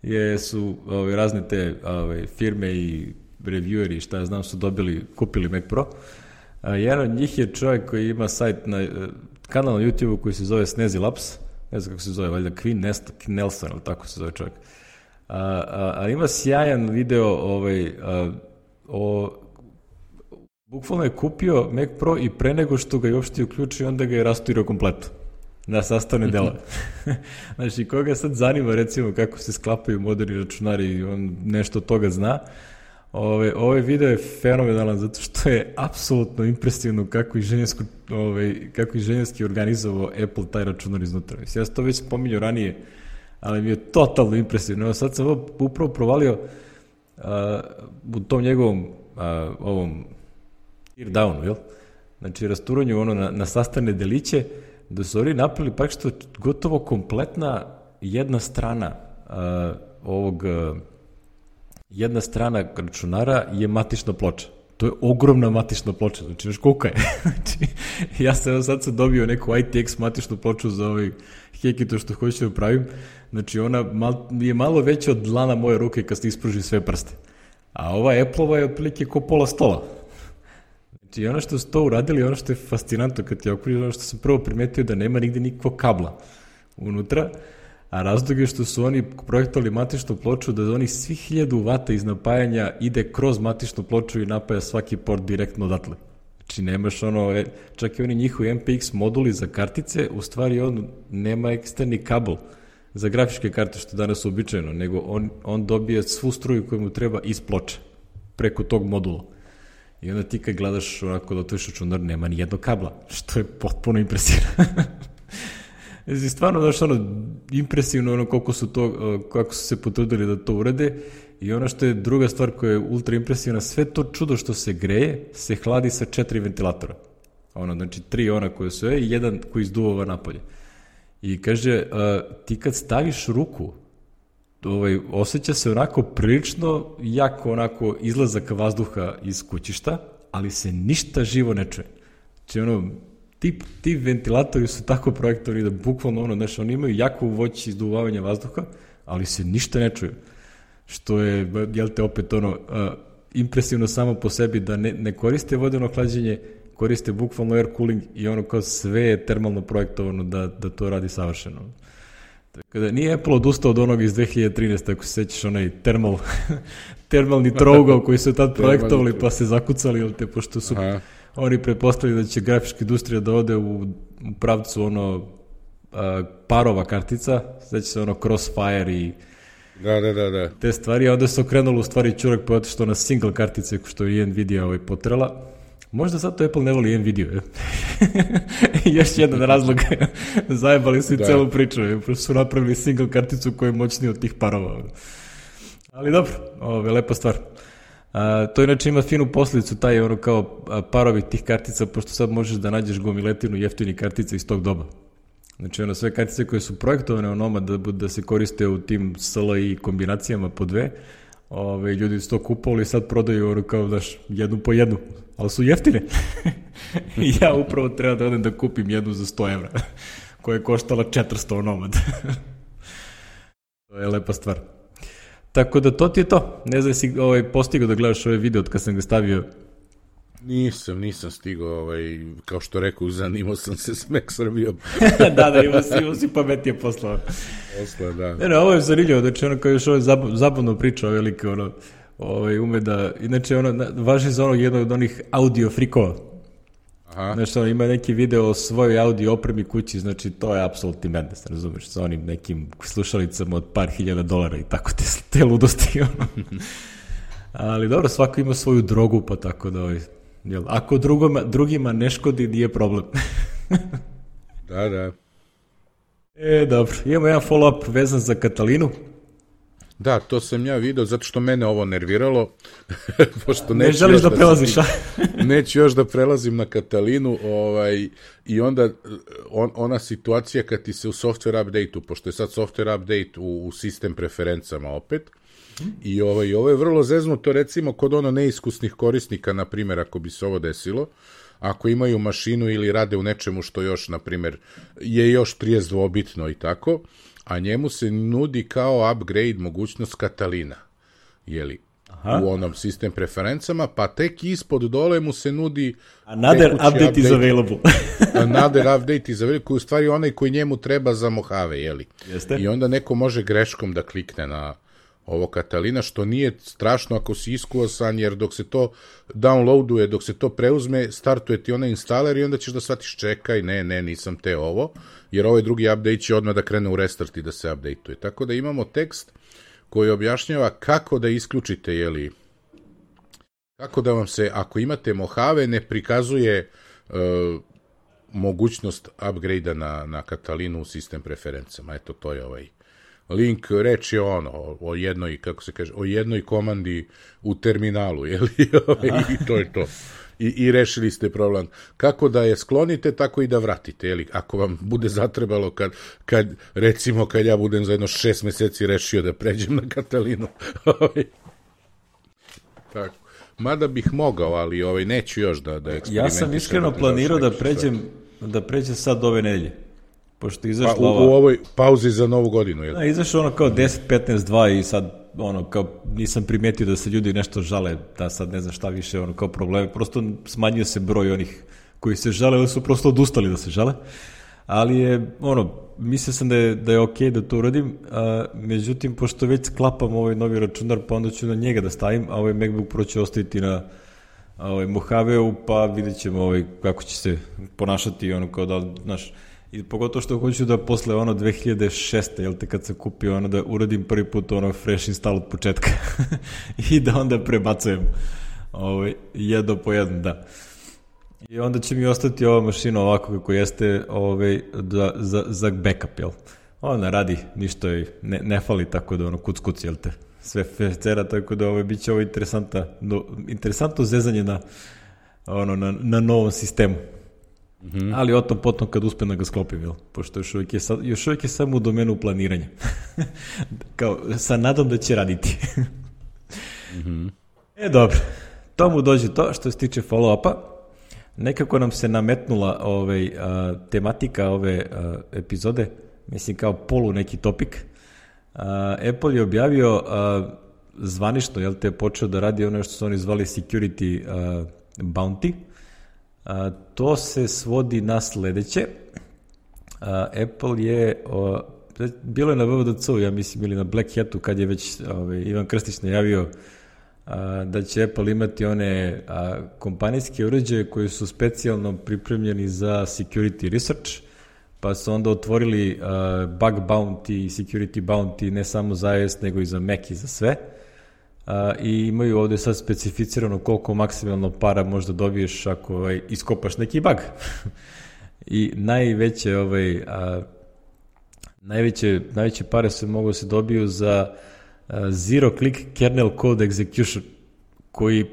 je, su ove, razne te ove, firme i revieweri, šta ja znam, su dobili, kupili Mac Pro. A, jedan od njih je čovjek koji ima sajt na kanal na YouTube koji se zove Snazzy Labs, ne znam kako se zove, valjda Queen Nelson, ali tako se zove čovjek. A, a, a ima sjajan video ovaj, a, o, bukvalno je kupio Mac Pro i pre nego što ga je uopšte uključio, onda ga je rasturirao kompletno na sastavne dela. Znači, koga sad zanima recimo kako se sklapaju moderni računari i on nešto od toga zna, ovaj, ovaj video je fenomenalan zato što je apsolutno impresivno kako inženjerski, ovaj, kako inženjerski organizovao Apple taj računar iznutra. Mislim, ja sam to već spominjao ranije, ali mi je totalno impresivno. Evo sad sam upravo provalio uh, u tom njegovom uh, ovom tear downu, jel? Znači rasturanju ono na, na sastavne deliće, da su oni napravili praktično gotovo kompletna jedna strana uh, ovog uh, jedna strana računara je matična ploča. to je ogromna matična ploča, znači već kolika je. Znači, ja sam sad sam dobio neku I T X matičnu ploču za ovaj Hekito što hoću da pravim, znači ona mal, je malo veća od dlana moje ruke kad se ispruži sve prste. A ova Apple-ova je otprilike ko pola stola. Znači ono što su to uradili, ono što je fascinantno kad ti okruži, ono što sam prvo primetio da nema nigde nikakvog kabla unutra, a razlog je što su oni projektovali matičnu ploču da oni svi hiljadu vata iz napajanja ide kroz matičnu ploču i napaja svaki port direktno odatle. Znači nemaš ono, čak i oni njihovi M P X moduli za kartice, u stvari on nema eksterni kabel za grafičke karte što je danas uobičajeno, nego on, on dobije svu struju koju mu treba iz ploče, preko tog modula. I onda ti kad gledaš onako da otvoriš računar, nema ni jednog kabla, što je potpuno impresivno. Znači, stvarno, znaš, ono, impresivno ono koliko su to, kako su se potrudili da to urade. I ono što je druga stvar koja je ultra impresivna, sve to čudo što se greje, se hladi sa četiri ventilatora. Ono, znači, tri ona koje su je i jedan koji izduvava napolje. I kaže, a, ti kad staviš ruku, ovaj, osjeća se onako prilično jako onako izlazak vazduha iz kućišta, ali se ništa živo ne čuje. Znači, ono, ti, ti ventilatori su tako projektovani da bukvalno, ono, znači, oni imaju jako voć izduvavanja vazduha, ali se ništa ne čuje. Što je, jel te, opet ono, a, impresivno samo po sebi da ne, ne koriste vodeno hlađenje, koriste bukvalno air cooling i ono kao sve je termalno projektovano da, da to radi savršeno. Tako da nije Apple odustao od onog iz dve hiljade trinaeste. ako se sećaš onaj termal, termalni trougao koji su tad projektovali pa se zakucali, jel te, pošto su Aha. oni pretpostavili da će grafička industrija da ode u, u pravcu ono a, parova kartica, znači se ono Crossfire i Da, da, da, da. te stvari, a onda se okrenulo u stvari čurak pa otišto na single kartice što je Nvidia ovaj potrela. Možda zato Apple ne voli Nvidia. Je. Još jedan razlog. Zajebali su i da. celu priču. Je. Su napravili single karticu koja je moćnija od tih parova. Ali dobro, ovo je lepa stvar. A, to inače ima finu posljedicu, taj ono kao parovi tih kartica, pošto sad možeš da nađeš gomiletinu jeftini kartica iz tog doba. Znači ono sve kartice koje su projektovane onoma da, da se koriste u tim S L I kombinacijama po dve, ove, ljudi su to kupovali i sad prodaju ono kao, daš, jednu po jednu, ali su jeftine. I ja upravo treba da odem da kupim jednu za sto evra, koja je koštala četiristo onomad. To je lepa stvar. Tako da to ti je to. Ne znam si ovaj, postigao da gledaš ovaj video od kad sam ga stavio. Nisam, nisam stigao, ovaj, kao što rekao, zanimao sam se s Mac Srbijom. da, da, imao si, imao si pametije poslao. Posla, da. Ne, ne, ovo je zanimljivo, znači ono kao još ovo je zabavno priča, velike, ono, ovaj, ume da, inače ono, važi za ono jedno od onih audio frikova. Aha. Znači, ono, ima neki video o svojoj audio opremi kući, znači to je apsolutni madness, razumiješ, sa onim nekim slušalicama od par hiljada dolara i tako te, te ludosti, ono. Ali dobro, svako ima svoju drogu, pa tako da, ovaj, jel, ako drugoma, drugima ne škodi, nije problem. Da, da. E, dobro, imamo jedan follow-up vezan za Katalinu. Da, to sam ja vidio, zato što mene ovo nerviralo. Pošto ne želiš da, da prelaziš, a? Neću još da prelazim na Katalinu, ovaj, i onda on, ona situacija kad ti se u software update-u, pošto je sad software update u, u sistem preferencama opet, i ovaj, ovo je vrlo zeznuto, recimo, kod ono neiskusnih korisnika, na primjer, ako bi se ovo desilo, ako imaju mašinu ili rade u nečemu što još, na primjer, je još trideset dvobitno i tako, a njemu se nudi kao upgrade mogućnost Katalina, jeli, Aha. u onom sistem preferencama, pa tek ispod dole mu se nudi another update, update is available. Another update is available, koji u stvari onaj koji njemu treba za Mojave, jeli. Jeste. I onda neko može greškom da klikne na ovo Katalina, što nije strašno ako si iskusan, jer dok se to downloaduje, dok se to preuzme, startuje ti onaj instaler i onda ćeš da shvatiš čekaj, ne, ne, nisam te ovo, jer ovaj drugi update će odmah da krene u restart i da se updateuje. Tako da imamo tekst koji objašnjava kako da isključite, jeli, kako da vam se, ako imate Mojave, ne prikazuje uh, mogućnost upgrade-a na, na Katalinu u sistem preferencama. Eto, to je ovaj link, reč je ono, o jednoj, kako se kaže, o jednoj komandi u terminalu, jel? I to je to. I, I rešili ste problem. Kako da je sklonite, tako i da vratite, jel? Ako vam bude zatrebalo, kad, kad, recimo, kad ja budem za jedno šest meseci rešio da pređem na Katalinu. Tako. mada bih mogao, ali ovaj, neću još da, da eksperimentišem. Ja sam iskreno planirao da pređem, da pređem sad ove nedelje. Pošto izašla pa, u, ova... u ovoj pauzi za novu godinu, jel? Da, izašlo ono kao deset petnaest dva i sad ono kao nisam primetio da se ljudi nešto žale, da sad ne znam šta više, ono kao probleme, prosto smanjio se broj onih koji se žale, ali su prosto odustali da se žale, ali je ono, mislio sam da je, da je okej da to uradim, a, međutim, pošto već sklapam ovaj novi računar, pa onda ću na njega da stavim, a ovaj MacBook Pro će ostaviti na ovaj, Mojave-u, pa vidjet ćemo ovaj, kako će se ponašati, ono kao da, znaš, i pogotovo što hoću da posle ono dve hiljade šeste, jel te, kad sam kupio ono da uradim prvi put ono fresh install od početka i da onda prebacujem ovaj, jedno po jedno, da. I onda će mi ostati ova mašina ovako kako jeste ovaj, da, za, za backup, jel? Ona radi, ništa joj ne, ne fali, tako da ono kuc kuc, jel te? Sve fecera, tako da ovaj, bit će ovo interesantno, no, interesantno zezanje na, ono, na, na novom sistemu. Mm-hmm. Ali o tom potom kad uspem da ga sklopim, jel? Pošto još uvijek je, sad, još uvijek je samo u domenu planiranja. Kao, sa nadom da će raditi. Mm-hmm. E, dobro. To mu dođe to što se tiče follow-upa. Nekako nam se nametnula ovaj, a, tematika ove a, epizode, mislim kao polu neki topik. A, Apple je objavio a, zvanično, jel te, počeo da radi ono što su oni zvali security a, bounty. A, to se svodi na sledeće. A, Apple je, o, bilo je na W W D C-u, ja mislim, ili na Black Hatu, kad je već ovaj, Ivan Krstić najavio a, da će Apple imati one a, kompanijske uređaje koji su specijalno pripremljeni za security research, pa su onda otvorili a, bug bounty i security bounty ne samo za iOS, nego i za Mac i za sve. Uh, i imaju ovde sad specificirano koliko maksimalno para možda dobiješ ako ovaj, iskopaš neki bug. I najveće, ovaj, uh, najveće, najveće pare se mogu se dobiju za uh, zero click kernel code execution, koji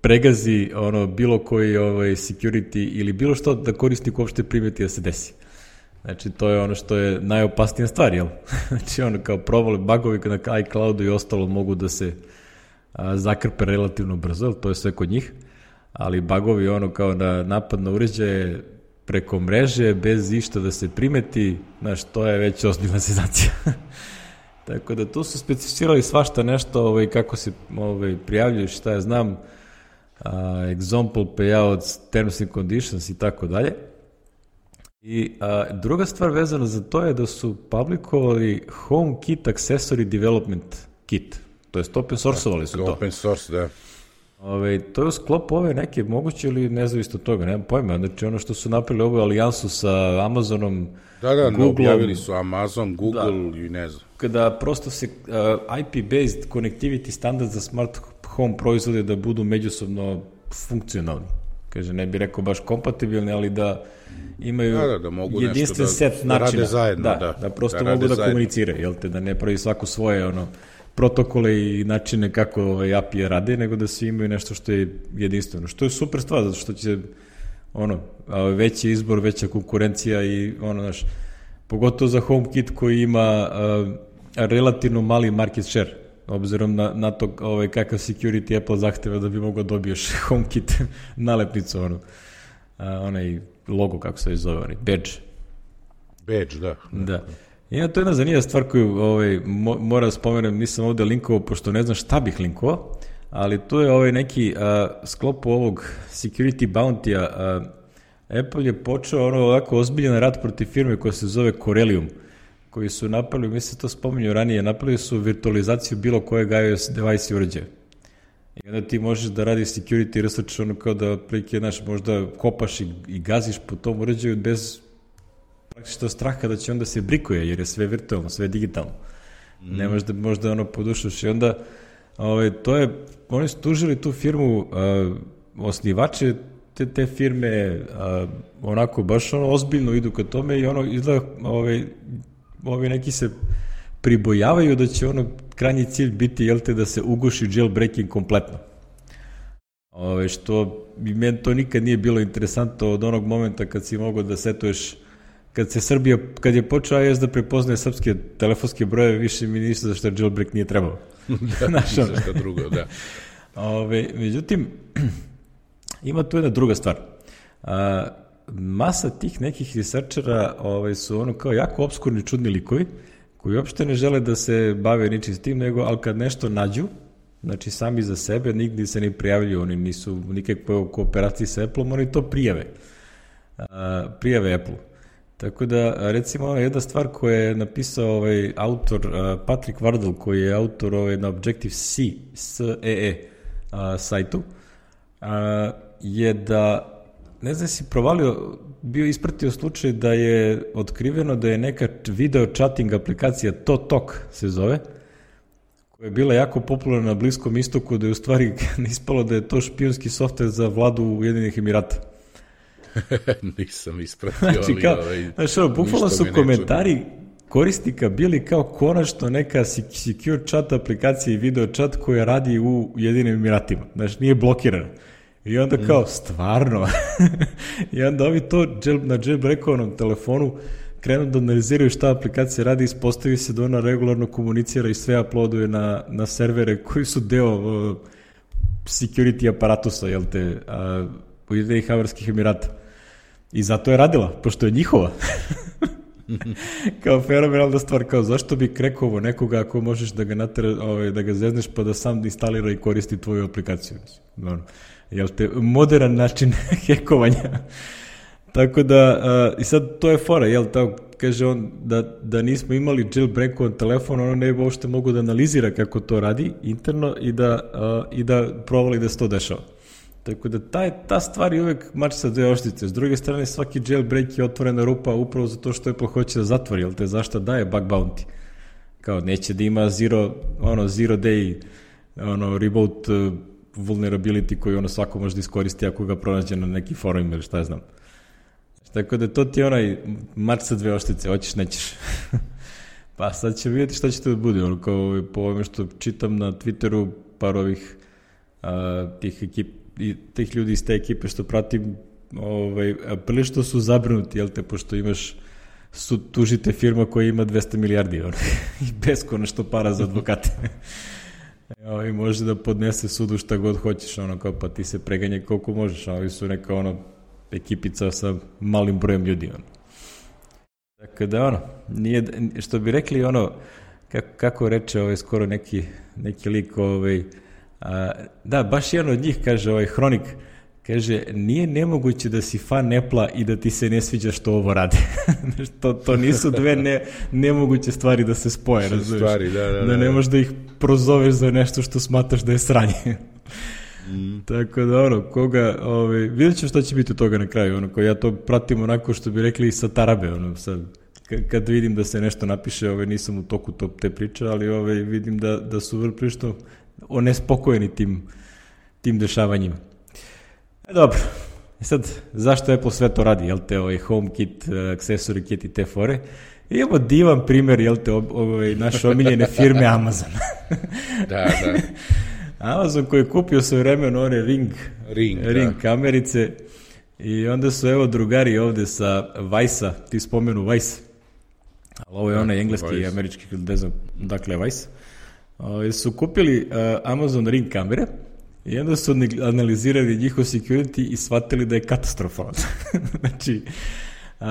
pregazi ono bilo koji ovaj, security ili bilo što da korisnik uopšte primeti da se desi. Znači, to je ono što je najopasnija stvar, jel? Znači, ono kao provali bugovi na iCloudu i ostalo mogu da se a, zakrpe relativno brzo, to je sve kod njih, ali bugovi ono kao na napad na uređaje preko mreže, bez išta da se primeti, znaš, to je već ozbiljna senzacija. Tako da tu su specificirali svašta nešto, ovaj, kako se ovaj, prijavljuješ, šta ja znam, a, example payouts, terms and conditions i tako dalje. I a, druga stvar vezana za to je da su publikovali HomeKit Accessory Development Kit. To jest open source-ovali su to. Open source, da. Ove, to je u sklopu ove neke moguće ili nezavisno od toga, nemam pojma. Znači ono što su napravili ovu alijansu sa Amazonom, da, da, Google, objavili su Amazon, Google da, i ne znam. Kada prosto se uh, I P-based connectivity standard za smart home proizvode da budu međusobno funkcionalni. Kaže, ne bih rekao baš kompatibilni, ali da imaju da, da, da mogu jedinstven da, set da načina. Zajedno, da, da, da prosto da mogu da zajedno. komuniciraju, jel te, da ne pravi svako svoje ono, protokole i načine kako ovaj, A P I rade, nego da svi imaju nešto što je jedinstveno. Što je super stvar, zato što će ono, veći izbor, veća konkurencija i ono, znaš, pogotovo za HomeKit koji ima uh, relativno mali market share, obzirom na, na to ovaj, kakav security Apple zahteva da bi mogao dobiješ HomeKit nalepnicu, ono, uh, onaj logo, kako se zove, onaj badge. Badge, da. Da. I to je jedna zanimljiva stvar koju ovaj, mo, mora da spomenem, nisam ovde linkovao, pošto ne znam šta bih linkovao, ali tu je ovaj neki uh, sklopu ovog security bounty-a, uh, Apple je počeo ono ovako ozbiljan rad protiv firme koja se zove Corellium, koji su napravili, mislim to spominju ranije, napravili su virtualizaciju bilo kojeg iOS device i uređaja. I onda ti možeš da radiš security research, ono kao da prilike, znaš, možda kopaš i, i gaziš po tom uređaju bez praktično straha da će onda se brikuje, jer je sve virtualno, sve digitalno. Mm. Ne možda, možda ono podušaš i onda ovaj, to je, oni su tužili tu firmu, uh, osnivače te, te firme uh, onako baš ono ozbiljno idu ka tome i ono izgleda ovaj, ovi neki se pribojavaju da će ono krajnji cilj biti, jel te, da se uguši jailbreaking kompletno. Ove, što bi meni to nikad nije bilo interesantno od onog momenta kad si mogao da setuješ, kad se Srbija, kad je počeo iOS da prepoznaje srpske telefonske brojeve, više mi ništa za što jailbreak nije trebao. da, za što drugo, da. Ove, međutim, ima tu jedna druga stvar. A, masa tih nekih researchera ovaj, su ono kao jako obskurni čudni likovi koji uopšte ne žele da se bave ničim s tim, nego, ali kad nešto nađu, znači sami za sebe, nigdje se ne prijavljuju, oni nisu nikakve u kooperaciji sa Apple-om, oni to prijave. A, prijave Apple. Tako da, recimo, ona jedna stvar koju je napisao ovaj autor uh, Patrick Wardle, koji je autor ovaj, na Objective-C, S E E uh, sajtu, uh, je da, ne znam si provalio, bio ispratio slučaj da je otkriveno da je neka video chatting aplikacija ToTalk se zove, koja je bila jako popularna na Bliskom istoku, da je u stvari ispalo da je to špijunski softver za vladu Ujedinjenih Emirata. Nisam ispratio, znači, ali... Kao, ovaj, znači, ono, bukvalno su komentari korisnika bili kao konačno neka secure chat aplikacija i video chat koja radi u Ujedinim Emiratima. Znači, nije blokirana. I onda kao, mm. stvarno? I onda ovi to na jailbreakovanom telefonu krenu da analiziraju šta aplikacija radi, ispostavi se da ona regularno komunicira i sve uploaduje na, na servere koji su deo uh, security aparatusa, jel te, uh, Ujedinjenih Arapskih Emirata. I zato je radila, pošto je njihova. Kao fenomenalna stvar, kao zašto bi krekovo nekoga ako možeš da ga natera, ovaj, da ga zezneš pa da sam instalira i koristi tvoju aplikaciju. Dobro. Jel te, modern način hekovanja. Tako da, uh, i sad to je fora, jel, tako, kaže on da, da nismo imali jailbreakovan telefon, ono ne bi uopšte mogu da analizira kako to radi interno i da, uh, i da provali da se to dešava. Tako da taj, ta stvar je uvek mač sa dve oštice. S druge strane, svaki jailbreak je otvorena rupa upravo zato što Apple hoće da zatvori, jel te zašto daje bug bounty. Kao neće da ima zero, ono, zero day ono, reboot uh, vulnerability koji ono svako može da iskoristi ako ga pronađe na neki forum ili šta ja znam. Tako da to ti je onaj mač sa dve oštice, hoćeš, nećeš. Pa sad ćemo vidjeti šta će to da bude. Ono, kao po ovome što čitam na Twitteru, par ovih uh, tih ekip i tih ljudi iz te ekipe što pratim, ovaj, prilično su zabrinuti, jel te, pošto imaš, su, tužite firma koja ima dvesta milijardi ono, i beskonačno para za advokate. I može da podnese sudu šta god hoćeš, ono, kao, pa ti se preganje koliko možeš, a ovi su neka ono, ekipica sa malim brojem ljudi. Ono. Tako da, ono, nije, što bi rekli, ono, kako, kako reče ovaj, skoro neki, neki lik, ovaj, a, da, baš jedan od njih, kaže ovaj Hronik, kaže, nije nemoguće da si fan Apple-a i da ti se ne sviđa što ovo radi. to, to nisu dve ne, nemoguće stvari da se spoje, razumiješ? Stvari, da, da, da, da ne možeš da ih prozoveš za nešto što smatraš da je sranje. Mm. Tako da, ono, koga, ovaj, vidjet ću što će biti od toga na kraju, ono, ko ja to pratim onako što bi rekli sa tarabe, ono, sad, kad vidim da se nešto napiše, ovaj, nisam u toku to, te priče, ali ovaj, vidim da, da su vrlo prilično onespokojeni tim, tim dešavanjima. E, dobro, e sad, zašto Apple sve to radi, jel te, ovaj HomeKit, accessory kit i te fore? Imamo divan primjer, jel te, ovaj, naše omiljene firme Amazon. Da, da. Amazon koji je kupio svoje vremeno one Ring, Ring, ring kamerice i onda su evo drugari ovde sa Vice-a, ti spomenu Vice, ali ovo je da, onaj engleski Vice. I američki, ne znam, dakle Vice, o, su kupili uh, Amazon Ring kamere i onda su analizirali njihov security i shvatili da je katastrofalan. Znači, uh,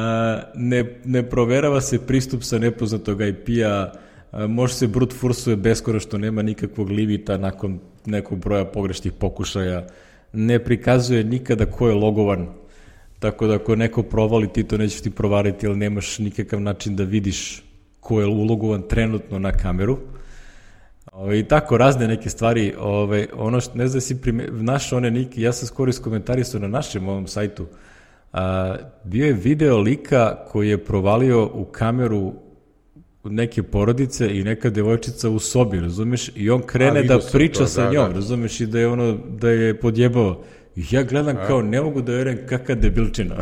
ne, ne proverava se pristup sa nepoznatog I P-a, uh, može se brute forceuje beskoro što nema nikakvog limita nakon nekog broja pogrešnih pokušaja, ne prikazuje nikada ko je logovan, tako da ako neko provali ti to nećeš ti provariti, ali nemaš nikakav način da vidiš ko je ulogovan trenutno na kameru. Ove, I tako razne neke stvari, ove, ono što ne znam si prime, naš one niki, ja sam skoro iskomentarisao na našem ovom sajtu, a, bio je video lika koji je provalio u kameru neke porodice i neka devojčica u sobi, razumeš, i on krene A, da priča to, sa da, njom, da. Razumeš, i da je ono, da je podjebao. I ja gledam A. kao, ne mogu da verujem kakva debilčina.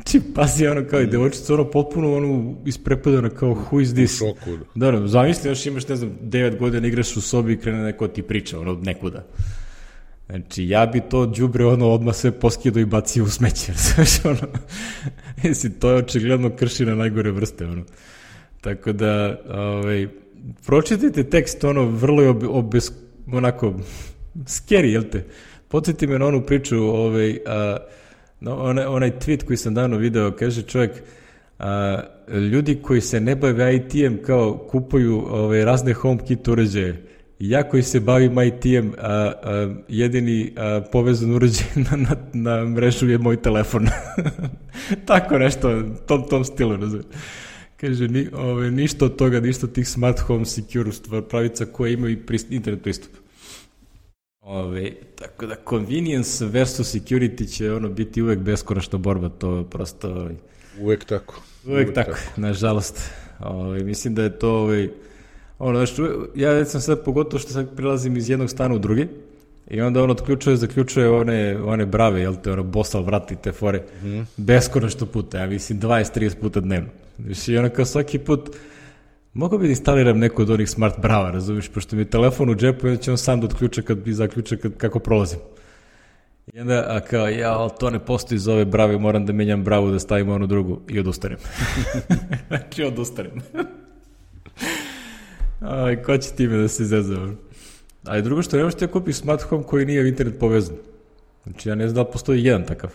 Či pazi, ono, kao i devojčica, ono, potpuno, ono, isprepadana, kao, who is this? U šoku. Da, da, zamisli, još imaš, ne znam, devet godina igraš u sobi i krene neko ti priča, ono, nekuda. Znači, ja bi to đubre, ono, odmah sve poskido i bacio u smeće, znaš, ono, jesi, to je očigledno krši na najgore vrste, ono. Tako da, ovaj, pročitajte tekst, ono, vrlo je ob, obes, onako, scary, jel te? Podsjeti me na onu priču, ovaj, a, no, onaj, onaj tweet koji sam davno video, kaže čovjek, a, ljudi koji se ne bave I T-em kao kupuju ovaj, razne HomeKit uređaje. Ja koji se bavim I T-em, a, a, jedini a, povezan uređaj na, na, na mrežu je moj telefon. Tako nešto, tom, tom stilu, razumije. Kaže, ni, ove, ništa od toga, ništa od tih smart home secure pravica koje imaju prist, internet pristup. Ove, tako da convenience versus security će ono biti uvek beskonačna borba, to prosto... Ove, uvek tako. Uvek, uvek tako, tako, nažalost. Ove, mislim da je to... Ove, ono, znači, ja sam sad pogotovo što sad prilazim iz jednog stana u drugi i onda on otključuje, zaključuje one, one brave, jel te, ono, bosal vrati te fore, mm. beskonačno puta, ja mislim dvadeset do trideset puta dnevno. Znači, ono kao svaki put, mogu bi da instaliram neko od onih smart brava, razumiješ, pošto mi je telefon u džepu i onda će on sam da otključa kad bi zaključa kad, kako prolazim. I onda, a kao, ja, ali to ne postoji za ove brave, moram da menjam bravu, da stavim onu drugu i odustanem. Znači, odustanem. Aj, ko će time da se izazove? A i drugo što ne možete kupiš smart home koji nije u internet povezan. Znači, ja ne znam da li postoji jedan takav.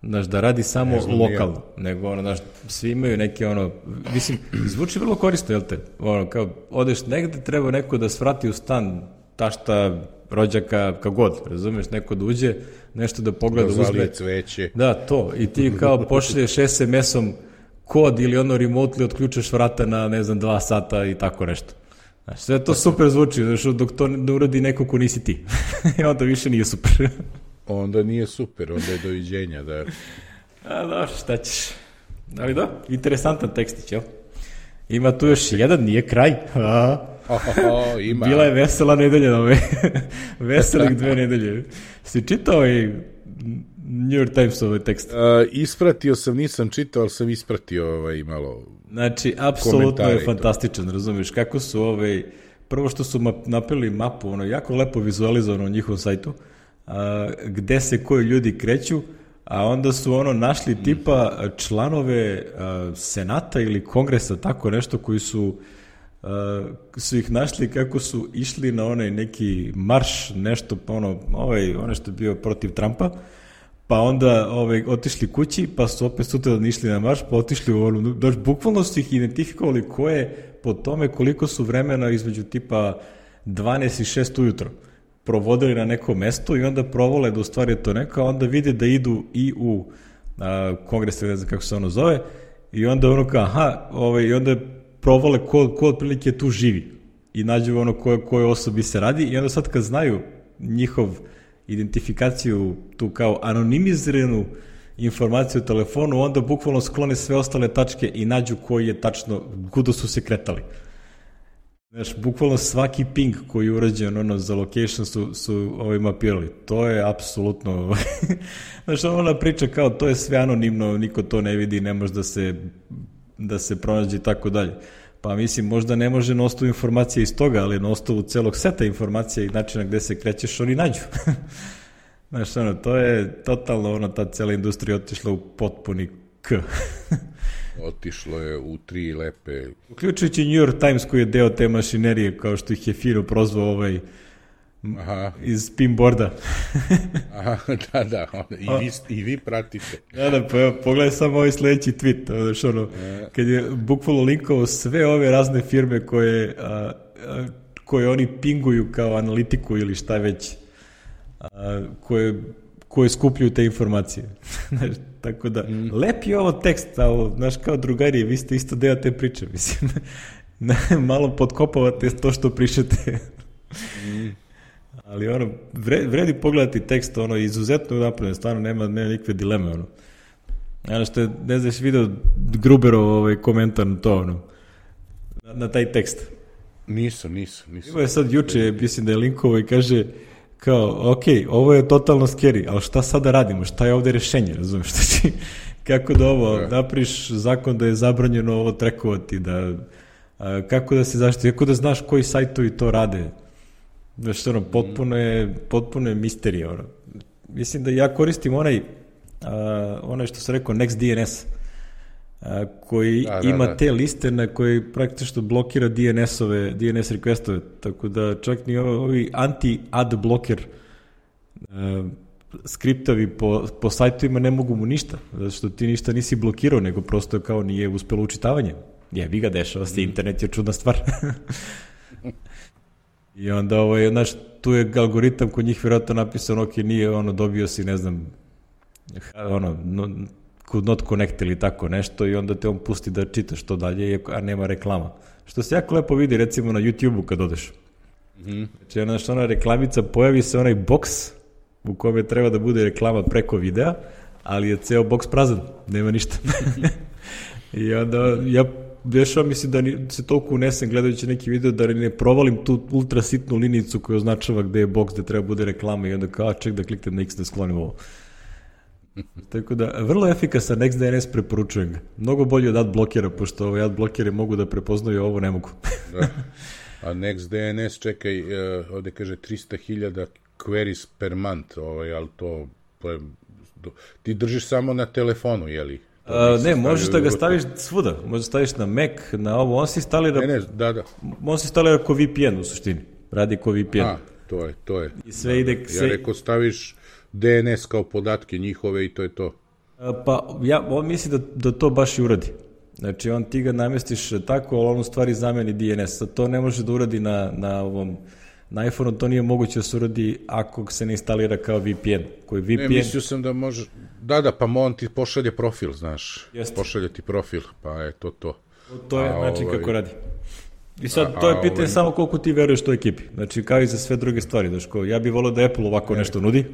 Znaš, da radi samo lokalno, nego, ono, znaš, svi imaju neke, ono, mislim, zvuči vrlo korisno, jel te? Ono, kao, odeš negde, treba neko da svrati u stan, tašta, rođaka, kako god, razumeš, neko da uđe, nešto da pogleda, da uzme. Cveće. Da, to, i ti kao pošalješ es em esom kod ili ono remotely otključaš vrata na, ne znam, dva sata i tako nešto. Znaš, sve to super zvuči, znaš, dok to ne uradi neko ko nisi ti. I onda više nije super. Onda nije super, onda je doviđenja, da. A, dobro, šta ćeš. Ali da, interesantan tekstić, jel? Ima tu još jedan, nije kraj. A, oh, oh, ima. Bila je vesela nedelja, nove. Veselih dve nedelje. Si čitao i New York Times ovaj tekst? Uh, ispratio sam, nisam čitao, ali sam ispratio ovaj malo. Znači, apsolutno je fantastičan, razumiješ, kako su ovaj, prvo što su map, napravili mapu, ono, jako lepo vizualizovano na njihovom sajtu, a, gde se koji ljudi kreću, a onda su ono našli tipa članove a, senata ili kongresa, tako nešto, koji su a, su ih našli kako su išli na onaj neki marš, nešto, ono, ovaj, ono što je bio protiv Trumpa, pa onda ovaj, otišli kući, pa su opet sutra išli na marš, pa otišli u ono, daš, bukvalno su ih identifikovali ko je po tome koliko su vremena između tipa dvanaest i šest ujutro provodili na neko mesto i onda provole da u stvari je to neko, a onda vide da idu i u a, kongres, ne znam kako se ono zove, i onda ono kao, aha, ovaj, i onda provole ko, ko otprilike tu živi i nađu ono koje, koje osobi se radi i onda sad kad znaju njihov identifikaciju, tu kao anonimiziranu informaciju u telefonu, onda bukvalno sklone sve ostale tačke i nađu koji je tačno, kuda su se kretali. Znaš, bukvalno svaki ping koji je urađen ono, za location su, su ovaj, mapirali. To je apsolutno... Znaš, ona priča kao to je sve anonimno, niko to ne vidi, ne može da se, da se pronađe i tako dalje. Pa mislim, možda ne može na osnovu informacije iz toga, ali na osnovu celog seta informacija i načina gde se krećeš, oni nađu. Znaš, ono, to je totalno, ono, ta cela industrija otišla u potpuni k. Otišlo je u tri lepe... Uključujući New York Times koji je deo te mašinerije, kao što ih je fino prozvao ovaj Aha. iz pinboarda. Aha, da, da, i vi, i vi pratite. Da, da, pa evo, pogledaj samo ovaj sledeći tweet, znaš, ono, kad je bukvalno linkovao sve ove razne firme koje, a, a, koje oni pinguju kao analitiku ili šta već, a, koje, koje skupljaju te informacije. Tako da, mm. lep je ovo tekst, ali, znaš, kao drugari, vi ste isto deo te priče, mislim. Malo potkopavate to što pričate. Mm. Ali ono, vredi pogledati tekst, ono, izuzetno napravljeno, stvarno nema, nema nikakve dileme, ono. Ono što je, ne znaš, video Gruberov ovaj komentar na to, ono, na, na taj tekst. Nisu, nisu, nisu. Ima je sad juče, mislim da je linkovo i kaže, kao, ok, ovo je totalno scary, ali šta sada radimo, šta je ovde rešenje, razumiješ, šta ti, kako da ovo, da. napriš zakon da je zabranjeno ovo trekovati, da, a, kako da se zaštiti, kako da znaš koji sajtovi to rade. Znaš, ono, potpuno je, potpuno je misterija, ono. Mislim da ja koristim onaj, uh, onaj što se rekao, NextDNS. a, koji da, da, ima da. te liste na koji praktično blokira D N S-ove, D N S requestove, tako da čak ni ovi anti-ad blocker a, skriptovi po, po sajtovima ne mogu mu ništa, zato što ti ništa nisi blokirao, nego prosto kao nije uspelo učitavanje. Je, vi ga dešava se, internet je čudna stvar. I onda, ovaj, znaš, tu je algoritam kod njih vjerojatno napisan, ok, nije, ono, dobio si, ne znam, ono, no, could not connect ili tako nešto i onda te on pusti da čitaš to dalje, a nema reklama. Što se jako lepo vidi, recimo, na YouTube-u kad odeš. Mm-hmm. Znači, ona, ona reklamica, pojavi se onaj boks u kome treba da bude reklama preko videa, ali je ceo boks prazan, nema ništa. I onda ja dešava mislim da ni, se toliko unesem gledajući neki video da ne provalim tu ultra sitnu linijicu koja označava gde je boks, gde treba bude reklama i onda kao ček da kliknem na X da sklonim ovo. Tako da, vrlo efikasan NextDNS, preporučujem ga. Mnogo bolje od adblockera, pošto ovaj adblockeri mogu da prepoznaju, ovo ne mogu. Da. A NextDNS, čekaj, uh, ovde kaže tristo hiljada queries per month, ovaj, ali to, to je, ti držiš samo na telefonu, jeli? A, ne, možeš da ga staviš svuda, možeš da staviš na Mac, na ovo, on se instalira, ne, ne, da, da. On se instalira ko V P N u suštini, radi ko V P N. A, to je, to je. I sve ide, sve... Ja rekao, staviš D N S kao podatke njihove i to je to. A, pa, ja, on misli da, da to baš i uradi. Znači, on ti ga namestiš tako, ali on u stvari zameni D N S. To ne može da uradi na, na ovom... Na iPhone-u to nije moguće da se uradi ako se ne instalira kao V P N. Koji V P N... Ne, mislio sam da može... Da, da, pa on ti pošalje profil, znaš. Jeste. Pošalje ti profil, pa je to to. To je a, način ovaj... kako radi. I sad, a, to je pitanje ovaj... samo koliko ti veruješ toj ekipi. Znači, kao i za sve druge stvari. Znači, ja bih volio da Apple ovako ne. nešto nudi.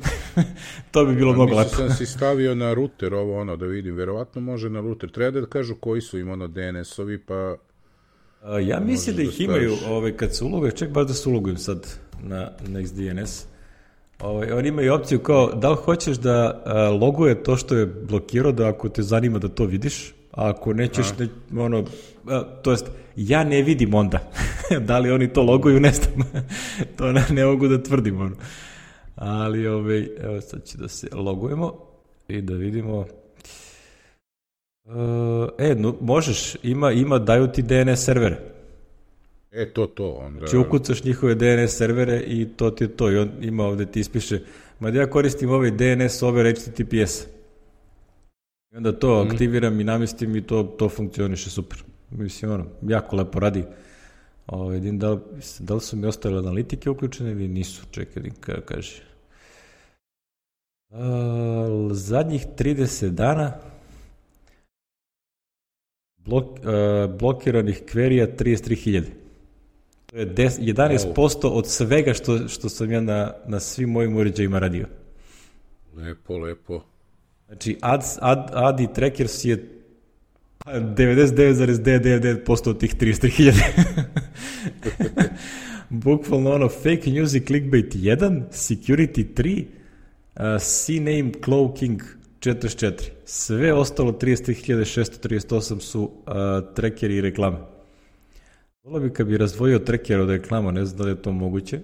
To bi bilo a, mnogo lepo. Mislim sam si stavio na router ovo, ono, da vidim. Verovatno može na router. Treba da kažu koji su im, ono, D N S-ovi, pa... A, ja mislim da ih da imaju, ovaj, kad se uloguju, ček baš da se ulogujem sad na NextDNS. Ovaj, oni imaju opciju kao, da li hoćeš da a, loguje to što je blokirao, da ako te zanima da to vidiš, a ako nećeš, ne, ono, a, to jest, ja ne vidim onda. Da li oni to loguju, ne znam. To ne, ne mogu da tvrdim, ono. Ali, ovaj, evo sad će da se logujemo i da vidimo... Uh, e, no, možeš, ima, ima, daju ti D N S servere. E, to, to. Onda... Znači, ukucaš njihove D N S servere i to ti je to. I on ima ovde ti ispiše, ma da ja koristim ovaj D N S over H T T P S. I onda to mm. aktiviram i namestim i to, to funkcioniše super. Mislim, ono, jako lepo radi. Ovo, vidim, da, da li su mi ostale analitike uključene ili nisu. Čekaj, kada kaže. Uh, zadnjih trideset dana Blok, uh, blokiranih kverija trideset tri hiljade. To je des, jedanaest posto od svega što, što sam ja na, na svim mojim uređajima radio. Lepo, lepo. Znači, ad, ad, ad i trackers je devedeset devet zarez devedeset devet posto od tih trideset tri hiljade. Bukvalno ono, fake news i clickbait jedan, security tri, uh, C-name cloaking četrdeset četiri. Sve ostalo trideset tri hiljade šesto trideset osam su uh, trackeri i reklame. Volio bi kad bi razdvojio tracker od reklama, ne znam da li je to moguće,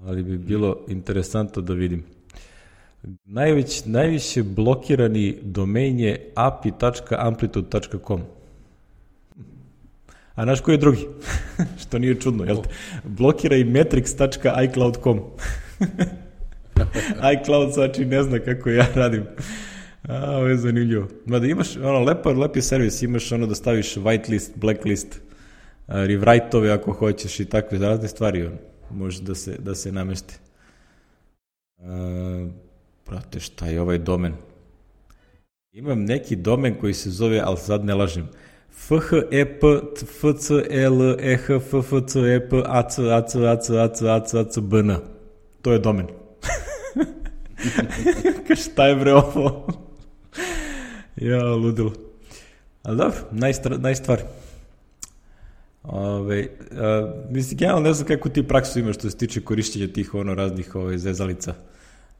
ali bi bilo interesantno da vidim. Najveć, najviše blokirani domain je a p i tačka amplitude tačka com. A naš koji je drugi? Što nije čudno, jel te? Blokira i metrix tačka i cloud tačka com. iCloud znači ne zna kako ja radim. A, ovo je zanimljivo. Mada imaš, ono, lepo, lepi servis, imaš ono da staviš whitelist, blacklist, uh, rewrite-ove ako hoćeš i takve razne stvari, ono, može da se, da se namesti. Uh, prate, šta je ovaj domen? Imam neki domen koji se zove, ali sad ne lažem, f h e p f c l e h f f c e p a c a c a c a c a c a c b n. To je domen. Šta je bre ovo? Ja, ludilo. Ali dobro, naj stvar. Ove, a, mislim, ja ne znam kako ti praksu imaš što se tiče korišćenja tih ono raznih ove, zezalica.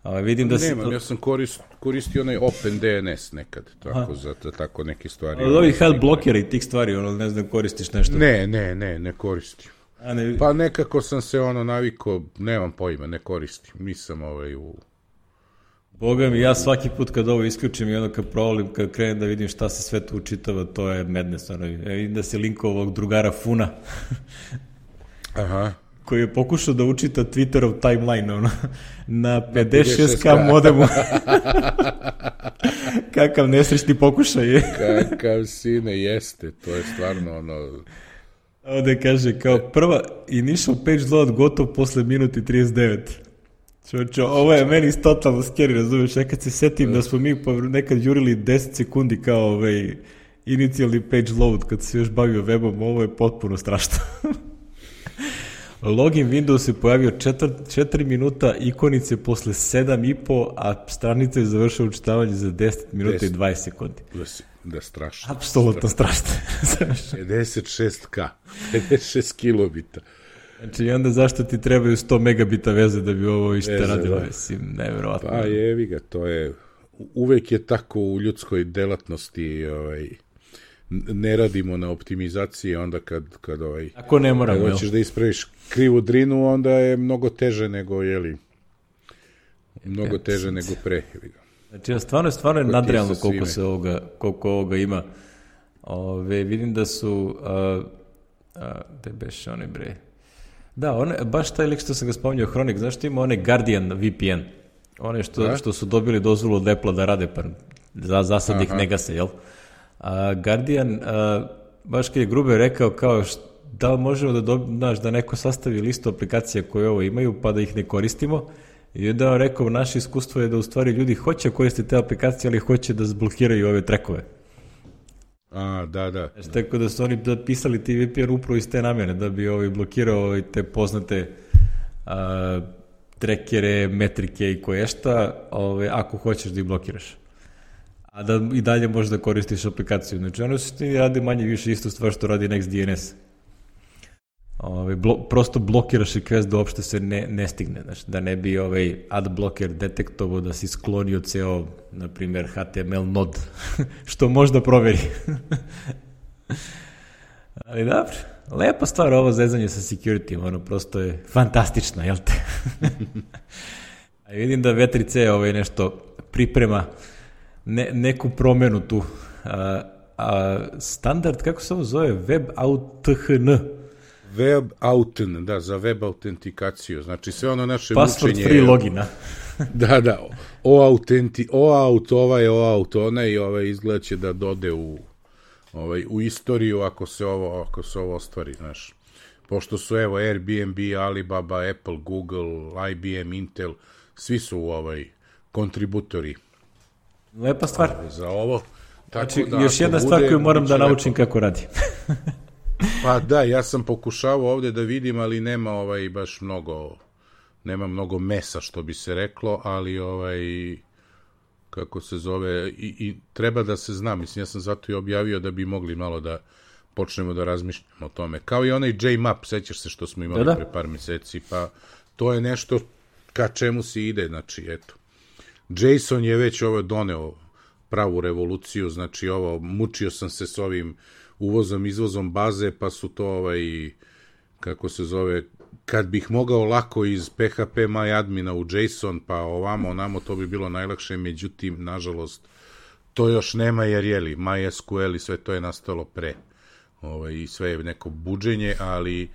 A, vidim da Nemam, si... ja sam korist, koristio onaj OpenDNS nekad, tako, za, za tako neke stvari. Od ovih health blokera i tih stvari, ono, ne znam, koristiš nešto? Ne, ne, ne, ne koristim. A ne... Pa nekako sam se ono navikao, nemam pojma, ne koristim. Nisam ovaj u... Boga mi, ja svaki put kad ovo isključim i onda kad provolim, kad krenem da vidim šta se sve tu učitava, to je madness. Ono, vidim da se linkovao ovog drugara Funa, Aha. koji je pokušao da učita Twitterov timeline ono, na pedeset šest ka modemu. Kakav nesrećni pokušaj je. Kakav sine jeste, to je stvarno ono... Ovde kaže, kao prva initial page load gotov posle minuti trideset devet. Čoče, ovo je meni totalno scary, razumiješ, ja kad se setim da smo mi nekad jurili deset sekundi kao ovaj inicijalni page load kad se još bavio webom, ovo je potpuno strašno. Login Windows se pojavio četiri minuta, ikonice posle sedam i po, a stranica je završila učitavanje za deset minuta i dvadeset sekundi. Da, da strašno. Apsolutno strašno. pedeset šest ka, pedeset šest kilobita. Znači, i onda zašto ti trebaju sto megabita veze da bi ovo ište radilo? Mislim, nevjerovatno. Pa jevi ga, to je, uvek je tako u ljudskoj delatnosti, ovaj, ne radimo na optimizaciji, onda kad, kad ovaj, ako ne moramo, kad hoćeš da ispraviš krivu drinu, onda je mnogo teže nego, jeli, mnogo teže nego pre. Znači, stvarno je, stvarno je nadrealno koliko se ovoga, koliko ovoga ima. Ove, vidim da su, a, a, gde beše one bre? Da, one, baš taj lik što sam ga spominjao, Hronik, znaš što ima one Guardian V P N, one što, što su dobili dozvolu od Apple da rade, pa za, za sad ih ne gase, jel? A Guardian, a, baš kad je Gruber rekao kao, št, da li možemo da, dobi, znaš, da neko sastavi listu aplikacija koje ovo imaju, pa da ih ne koristimo, i onda on rekao, naše iskustvo je da u stvari ljudi hoće koristiti te aplikacije, ali hoće da zblokiraju ove trekove. A, da, da. Znači, tako da su oni pisali ti V P N upravo iz te namjene, da bi ovaj blokirao ovaj te poznate a, trekere, metrike i koješta, ovaj, ako hoćeš da ih blokiraš. A da i dalje možeš da koristiš aplikaciju. Znači, ono su ti radi manje više isto stvar što radi NextDNS. Ovaj, blo, prosto blokiraš request da uopšte se ne, ne stigne. Znači, da ne bi ovaj adblocker detektovao da si sklonio ceo, na primjer, H T M L nod, što možda proveri. Ali dobro, lepa stvar ovo zezanje sa security, ono prosto je fantastično, jel te? A vidim da V tri C ovaj nešto priprema ne, neku promenu tu. A, a standard, kako se ovo zove? WebAuthn. WebAuthn, da, za web autentikaciju. Znači, sve ono naše password mučenje... Password free logina. Da, da. O-autenti, O-aut, ovaj, O-aut, onaj, i ovaj izgleda će da dode u, ovaj, u istoriju ako se ovo, ako se ovo ostvari, znaš. Pošto su, evo, Airbnb, Alibaba, Apple, Google, I B M, Intel, svi su ovaj kontributori. Lepa stvar. Za ovo. Tako znači, da, još jedna stvar koju moram da naučim lepo. Kako radi. Pa da, ja sam pokušavao ovde da vidim, ali nema ovaj baš mnogo, nema mnogo mesa, što bi se reklo, ali ovaj, kako se zove, i, i treba da se zna, mislim, ja sam zato i objavio da bi mogli malo da počnemo da razmišljamo o tome. Kao i onaj J MAP, sećaš se što smo imali da, da. pre par meseci, pa to je nešto ka čemu se ide, znači, eto. JSON je već ovo doneo pravu revoluciju, znači ovo, mučio sam se s ovim uvozom, izvozom baze, pa su to ovaj, kako se zove, kad bih mogao lako iz P H P MyAdmina u JSON, pa ovamo, onamo, to bi bilo najlakše, međutim, nažalost, to još nema, jer jeli, MySQL i sve to je nastalo pre, ovaj, i sve je neko buđenje, ali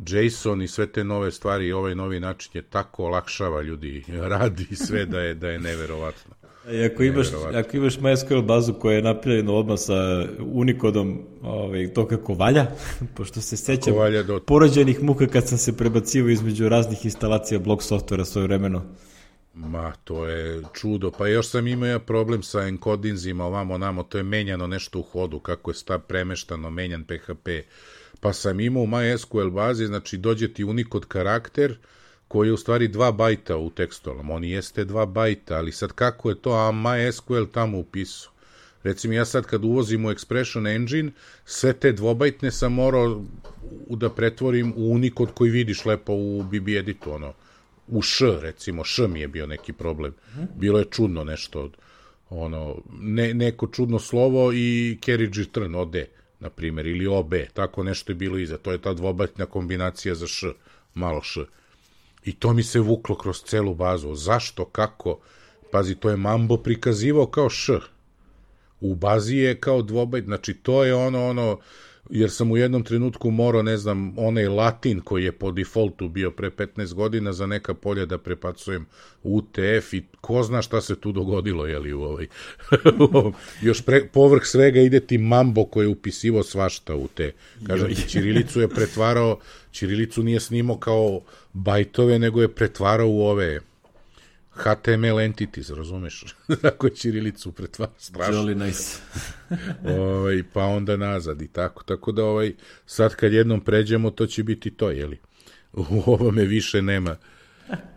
JSON i sve te nove stvari, ovaj novi način je tako olakšava ljudi, radi sve da je, da je neverovatno. I ako imaš, ako imaš MySQL bazu koja je napravljena odmah sa Unicodom, ovaj, to kako valja, pošto se sećam do... porođenih muka kad sam se prebacio između raznih instalacija blog softvera svoje vremeno. Ma, to je čudo. Pa još sam imao problem sa encodinzima, ovamo, namo, to je menjano nešto u hodu, kako je stav premeštano, menjan P H P. Pa sam imao u MySQL bazi, znači dođe ti Unicode karakter, koji je u stvari dva bajta u tekstualnom. On jeste dva bajta, ali sad kako je to, a MySQL tamo upisao. Recimo, ja sad kad uvozim u Expression Engine, sve te dvobajtne sam morao da pretvorim u Unicode koji vidiš lepo u B B editu, ono, u Š, recimo, Š mi je bio neki problem. Bilo je čudno nešto, ono, ne, neko čudno slovo i carriage return, O D, na primjer, ili O B, tako nešto je bilo iza. To je ta dvobajtna kombinacija za Š, malo Š. I to mi se vuklo kroz celu bazu. Zašto, kako? pazi, to je Mambo prikazivao kao š. U bazi je kao dvobajt, znači to je ono, ono, jer sam u jednom trenutku morao, ne znam, onaj latin koji je po defaultu bio pre petnaest godina za neka polja da prepacujem u te ef i ko zna šta se tu dogodilo, jeli, u ovaj. Još pre, povrh svega ide ti Mambo koji je upisivo svašta u te. Kažem ti, ćirilicu je pretvarao, ćirilicu nije snimao kao bajtove, nego je pretvarao u ove ha te em el entities, razumeš? Tako je ćirilicu pretvara, strašno. Jolly nice. ovaj, pa onda nazad i tako. Tako da ovaj, sad kad jednom pređemo, to će biti to, jeli? U ovome više nema.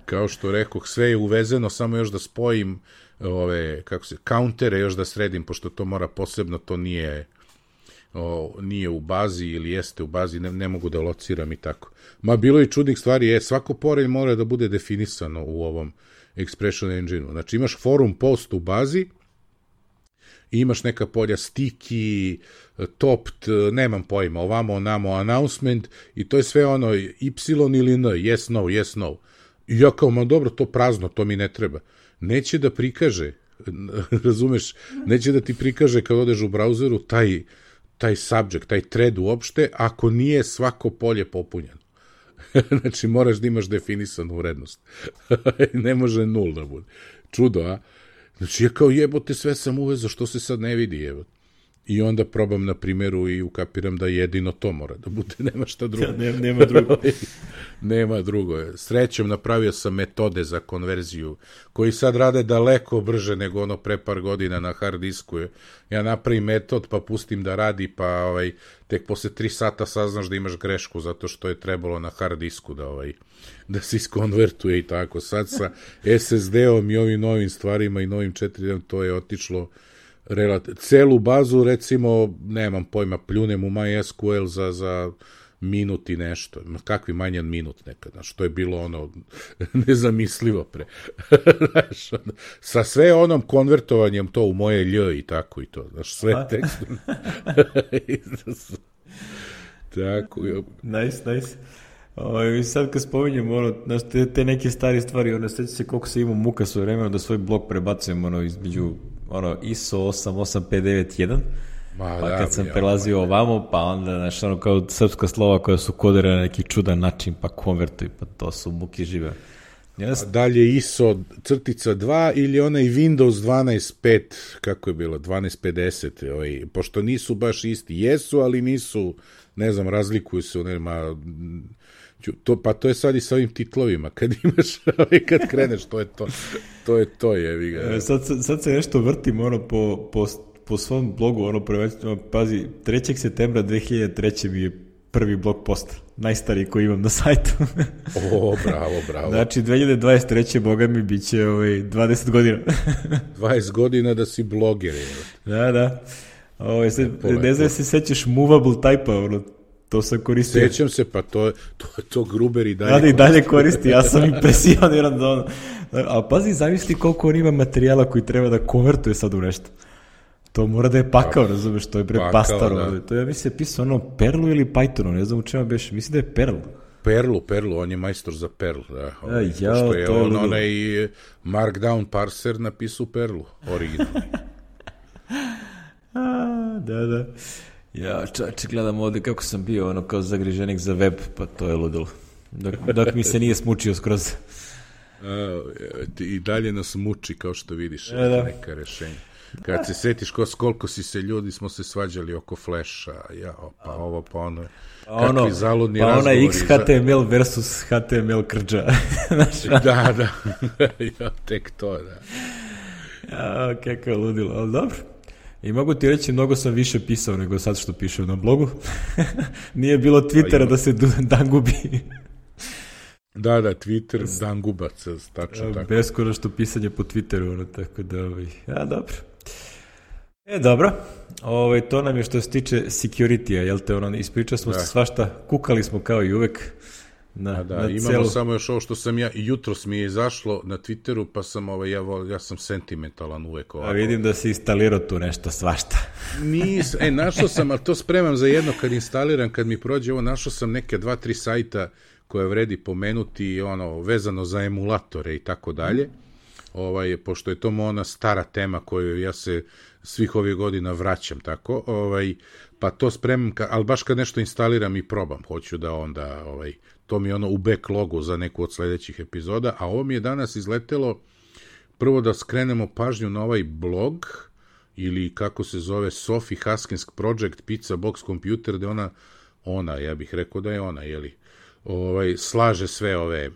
Kao što rekoh, sve je uvezeno, samo još da spojim ove, kako se, kauntere još da sredim, pošto to mora posebno, to nije, o, nije u bazi ili jeste u bazi, ne, ne mogu da lociram i tako. Ma bilo i čudnih stvari, je, svako polje mora da bude definisano u ovom Expression Engine-u. Znači imaš forum post u bazi, imaš neka polja sticky, topped, nemam pojma, ovamo, onamo, announcement i to je sve ono y ili n, yes, no, yes, no. I ja kao, ma dobro, to prazno, to mi ne treba. Neće da prikaže, razumeš, neće da ti prikaže kad odeš u brauzeru taj, taj subject, taj thread uopšte, ako nije svako polje popunjeno. Znači, moraš da imaš definisanu vrednost. Ne može nul da bude. Čudo, a? Znači, ja kao jebote, sve sam uvezao, što se sad ne vidi, jebote. I onda probam na primjeru i ukapiram da jedino to mora da bude, nema šta drugo. Ja, nema, nema drugo. Nema drugo. Srećom napravio sam metode za konverziju, koji sad rade daleko brže nego ono pre par godina na hard disku. Ja napravim metod, pa pustim da radi, pa ovaj, tek posle tri sata saznaš da imaš grešku, zato što je trebalo na hard disku da, ovaj, da se iskonvertuje i tako. Sad sa es es de-om i ovim novim stvarima i novim četiri de-om to je otišlo relativ... Celu bazu, recimo, nemam pojma, pljunem u MySQL za, za minut i nešto. Kakvi manje od minut nekad. Znaš, to je bilo ono nezamislivo pre. Znaš, sa sve onom konvertovanjem to u moje lj i tako i to. Znaš, sve tekstom. Tako. Nice, nice. O, sad kad spominjem ono, znaš, te, te neke stari stvari, ono, sveća se koliko se imao muka svoje vremena da svoj blog prebacujem ono, između ono, I S O osam osam pet devet jedan, ma, pa da, kad sam ja, prelazio ma, ovamo, pa onda, znaš, ono, kao srpska slova koja su kodirana na neki čudan način, pa konvertuj, pa to su muke žive. Yes. Dalje I S O crtica dva ili onaj Windows dvanaest pet, kako je bilo, dvanaest pedeset, ovaj, pošto nisu baš isti, jesu, ali nisu, ne znam, razlikuju se, nema... To, pa to je sad i sa ovim titlovima, kad imaš, kad kreneš, to je to, to je to, jevi ga. Sad, sad se nešto vrtim, ono, po, po, po svom blogu, ono, prvenstveno, pazi, trećeg septembra dve hiljade treće mi je prvi blog post, najstariji koji imam na sajtu. O, bravo, bravo. Znači, dve hiljade dvadeset treće boga mi bit će ovaj, dvadeset godina. dvadeset godina da si bloger, je. Da, da. Ovo, se, ne znam se sećaš movable type-a, ono, to sam koristio. Sećam se, pa to, to, to Gruber i dalje koristi. Da, i dalje koristi, ja sam impresioniran da ono. A pazi, zamisli koliko on ima materijala koji treba da konvertuje sad u nešto. To mora da je pakao, razumeš, to je bre pastaro. Da. To ja mislim je pisao ono Perlu ili Pythonu, ne znam u čemu beš, mislim da je Perl. Perlu, Perlu, on je majstor za Perl, da. A, ja, što je to on, onaj Markdown parser napisao Perlu, originalno. A, da, da. Ja, čače, gledam ovdje kako sam bio, ono, kao zagriženik za web, pa to je ludilo. Dok, dok mi se nije smučio skroz. A, i dalje nas muči, kao što vidiš, da, da. neka rešenja. Kad se setiš ko, koliko si se ljudi smo se svađali oko Flasha, ja, pa ovo, pa ono, kakvi ono, zaludni pa razgovori. Pa ona X H T M L versus H T M L krđa. Da, da, ja, tek to, da. Ja, kako je ludilo, ali dobro. I mogu ti reći, mnogo sam više pisao nego sad što pišem na blogu. Nije bilo Twittera da se dan gubi. Da, da, Twitter, dan gubac, tačno ja, tako. Beskonačno pisanje po Twitteru, ono, tako da, ovaj, ja, dobro. E, dobro, ovaj, to nam je što se tiče security-a, jel te, ono, ispričali smo da. se svašta, kukali smo kao i uvek. Na, A da, na imamo celu... samo još ovo što sam ja, jutros mi je izašlo na Twitteru, pa sam, ovaj, ja, ja sam sentimentalan uvek ovako. A vidim da si instalirao tu nešto svašta. Nis, e, našao sam, ali to spremam za jedno kad instaliram, kad mi prođe ovo, našao sam neke dva, tri sajta koje vredi pomenuti, ono, vezano za emulatore i tako dalje. ovaj, pošto je to ona stara tema koju ja se svih ovih godina vraćam, tako, ovaj, pa to spremam, ka, ali baš kad nešto instaliram i probam, hoću da onda, ovaj, to mi je ono u backlogu za neku od sledećih epizoda, a ovo mi je danas izletelo, prvo da skrenemo pažnju na ovaj blog, ili kako se zove, Sophie Haskins Project Pizza Box Computer, gde ona, ona, ja bih rekao da je ona, jeli, ovaj, slaže sve ove,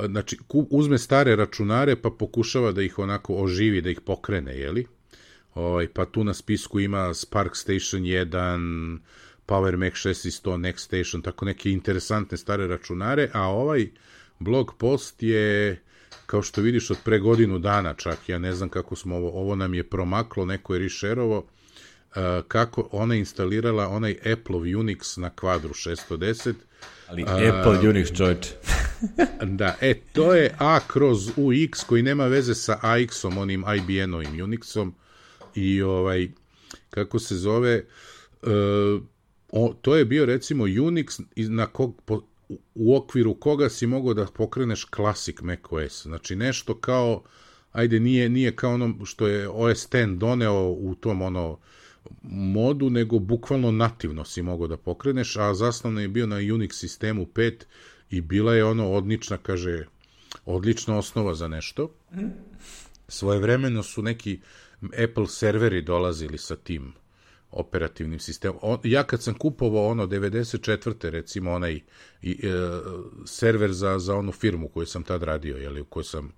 znači, uzme stare računare, pa pokušava da ih onako oživi, da ih pokrene, jeli, ovaj, pa tu na spisku ima Spark Station jedan, Power Mac šest sto, Next Station, tako neke interesantne stare računare, a ovaj blog post je, kao što vidiš, od pre godinu dana čak, ja ne znam kako smo ovo, ovo nam je promaklo, neko je rešerovo, uh, kako ona instalirala onaj Apple Unix na Quadru šesto deset. Ali uh, Apple Unix, čovječe. Da, e, to je A kroz U X koji nema veze sa A X-om, onim I B M-ovim Unixom, i ovaj, kako se zove, uh, o, to je bio recimo Unix na kog, po, u okviru koga si mogao da pokreneš Classic macOS. Znači nešto kao, ajde, nije, nije kao ono što je O S deset doneo u tom ono modu, nego bukvalno nativno si mogao da pokreneš, a zasnovno je bio na Unix sistemu pet i bila je ono odlična, kaže, odlična osnova za nešto. Svojevremeno su neki Apple serveri dolazili sa tim operativnim sistemom. On, ja kad sam kupovao ono devedeset četvrte recimo onaj i, e, server za, za onu firmu koju sam tad radio, jeli, u kojoj sam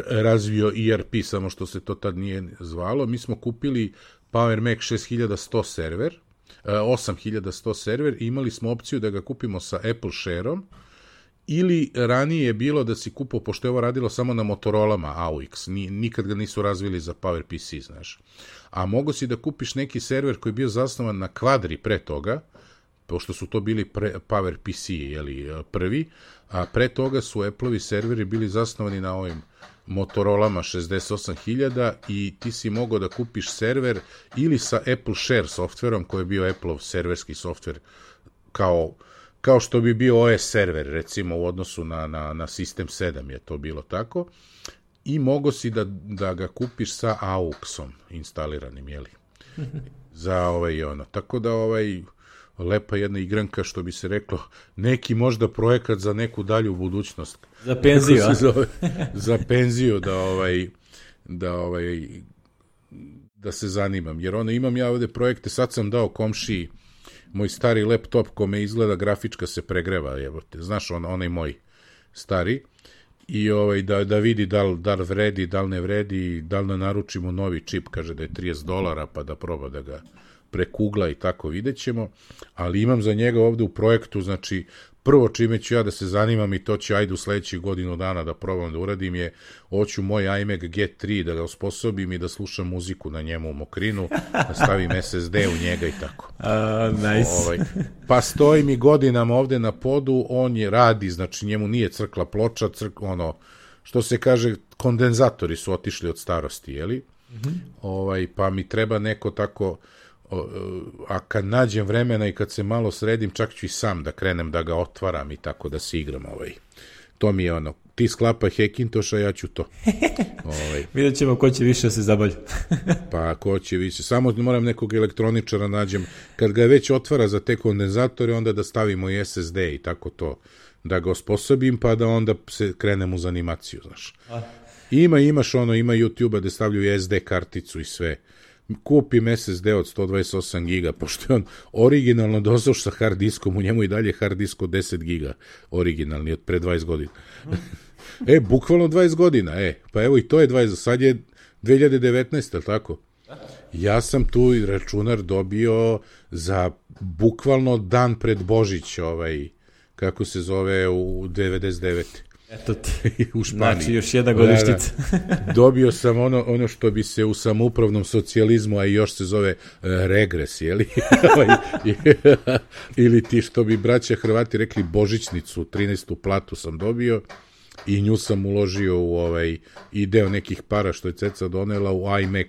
razvio E R P, samo što se to tad nije zvalo, mi smo kupili Power Mac šest hiljada sto server, osam hiljada sto server, i imali smo opciju da ga kupimo sa Apple Share-om, ili ranije je bilo da si kupao, pošto je ovo radilo samo na Motorolama A U X, nikad ga nisu razvili za PowerPC, znaš. A mogo si da kupiš neki server koji je bio zasnovan na Quadri pre toga, pošto su to bili pre, PowerPC, jeli, prvi, a pre toga su Apple-ovi serveri bili zasnovani na ovim Motorolama šezdeset osam hiljada i ti si mogao da kupiš server ili sa Apple Share softverom, koji je bio Apple-ov serverski softver, kao, kao što bi bio O S server, recimo, u odnosu na, na, na System sedam je to bilo tako, i mogo si da, da ga kupiš sa A U X-om instaliranim, jeli, za ovaj ono. Tako da, ovaj, lepa jedna igranka, što bi se reklo, neki možda projekat za neku dalju budućnost. Za penziju, a? Zove, za penziju, da ovaj, da ovaj, da se zanimam. Jer ono, imam ja ovde projekte, sad sam dao komšiji moj stari laptop kome izgleda grafička se pregreva, evo te, znaš, on, onaj moj stari, i ovaj, da, da vidi da li, da li vredi, da li ne vredi, da li da naručimo novi čip, kaže da je trideset dolara, pa da proba da ga prekugla i tako, vidjet ćemo, ali imam za njega ovde u projektu, znači, prvo čime ću ja da se zanimam, i to ću ajde u sledećih godinu dana da probam da uradim, je, hoću moj iMac G tri da ga osposobim i da slušam muziku na njemu u mokrinu, da stavim S S D u njega i tako. Uh, nice. Ovaj, pa stoji mi godinama ovde na podu, on je radi, znači njemu nije crkla ploča, crk, ono, što se kaže, kondenzatori su otišli od starosti, jeli? Mm-hmm. Ovaj, pa mi treba neko tako, a kad nađem vremena i kad se malo sredim, čak ću i sam da krenem da ga otvaram i tako da se igram. Ovaj. To mi je ono, ti sklapaj Hackintoša, ja ću to. Ovaj. Vidjet ćemo ko će više se zabavlja. Pa ko će više, samo moram nekog elektroničara nađem, kad ga već otvara za te kondenzatore, onda da stavimo i S S D i tako to, da ga osposobim, pa da onda se krenem uz animaciju, znaš. A. Ima, imaš ono, ima YouTube-a da stavljaju S D karticu i sve. Kupim S S D od sto dvadeset osam giga, pošto je on originalno dosao sa hard diskom, u njemu i dalje hard disk od deset giga, originalni, od pre dvadeset godina. E, bukvalno dvadeset godina, e, pa evo i to je dvadeset, sad je dve hiljade devetnaeste, ali tako? Ja sam tu računar dobio za bukvalno dan pred Božić, ovaj, kako se zove, u devedeset devete Eto ti, u Španiji. Znači još jedna godištica. Da, da. Dobio sam ono, ono što bi se u samoupravnom socijalizmu, a i još se zove uh, regres, jeli? Ili ti što bi braća Hrvati rekli božićnicu, trinaestu platu sam dobio i nju sam uložio u ovaj i deo nekih para što je ceca donela u iMac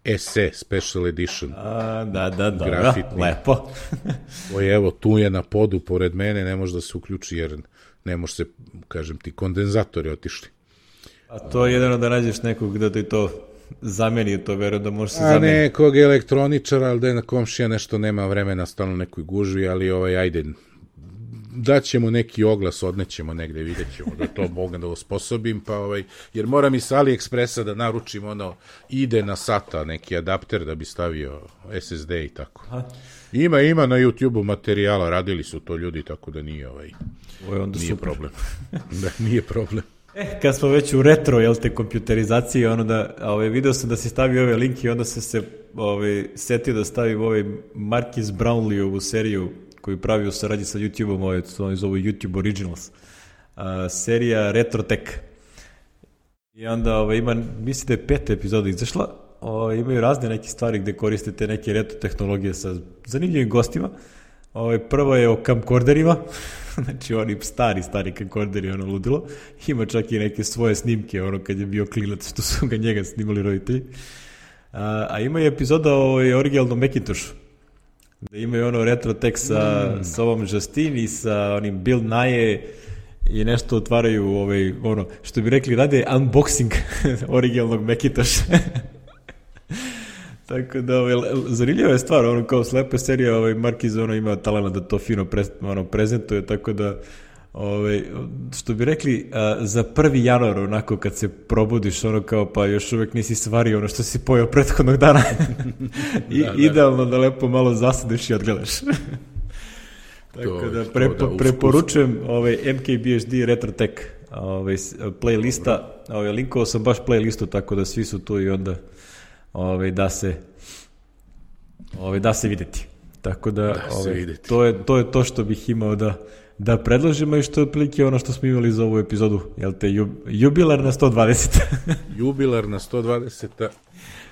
S E Special Edition. A, da, da, da, grafitni. Lepo. Oj, evo, tu je na podu pored mene, ne može da se uključi jer ne može se, kažem ti, kondenzatori otišli. A to je jedino da nađeš nekog da ti to zameni, to verujem da može se A zameni. nekog elektroničara, ali da je na komšija nešto nema vremena, stalno nekoj gužvi, ali ovaj, ajde, daćemo neki oglas, odnećemo negde, vidjet ćemo da to mogu da osposobim, pa ovaj, jer moram i sa AliExpressa da naručim ono, ide na SATA, neki adapter da bi stavio S S D i tako. Aha. Ima, ima na YouTube-u materijala, radili su to ljudi, tako da nije ovaj, Ovo onda nije super. problem. Da, nije problem. E, kad smo već u retro, jel te, kompjuterizaciji, ono da, ovaj, video sam da si stavio ove linke i onda sam se ovaj, setio da stavim ovaj Marquis Brownlee-ovu seriju koju pravi u saradnji sa YouTube-om, ovaj, to zovu YouTube Originals, a, serija Retro Tech. I onda ovaj, ima, mislim da je peta epizoda izašla, ovaj, imaju razne neke stvari gde koristite neke retro tehnologije sa zanimljivim gostima. Ovaj, prva je o camcorderima, znači oni stari, stari camcorderi, ono ludilo. Ima čak i neke svoje snimke, ono kad je bio klinac, što su ga njega snimali roditelji. A, a ima i epizoda o originalnom Macintoshu, gde imaju ono retro tech sa, mm. sa ovom Justine i sa onim Bill Nye i nešto otvaraju, ovaj, ono, što bi rekli, rade unboxing originalnog Macintosha. Tako da, ovaj, zanimljiva je stvar, ono, kao slepa serija, ovaj, Marquis, ono, ima talena da to fino pre, ono, prezentuje, tako da, ovaj, što bi rekli, a, za prvi januar, onako, kad se probudiš, ono, kao, pa još uvek nisi svario ono što si pojao prethodnog dana. I, da, da. Idealno da lepo malo zasadiš i odgledaš. Tako to, da, prepo, da preporučujem ovaj, M K B H D Retro Tech ovaj, playlista, ovaj, linkovao sam baš playlistu, tako da svi su tu i onda ovaj, da se ovaj, da se videti. Tako da, da ovaj, to, je, to je to što bih imao da, da predložimo i što je otprilike ono što smo imali za ovu epizodu, jel te, jub, jubilar na sto dvadeset. Jubilar na sto dvadeset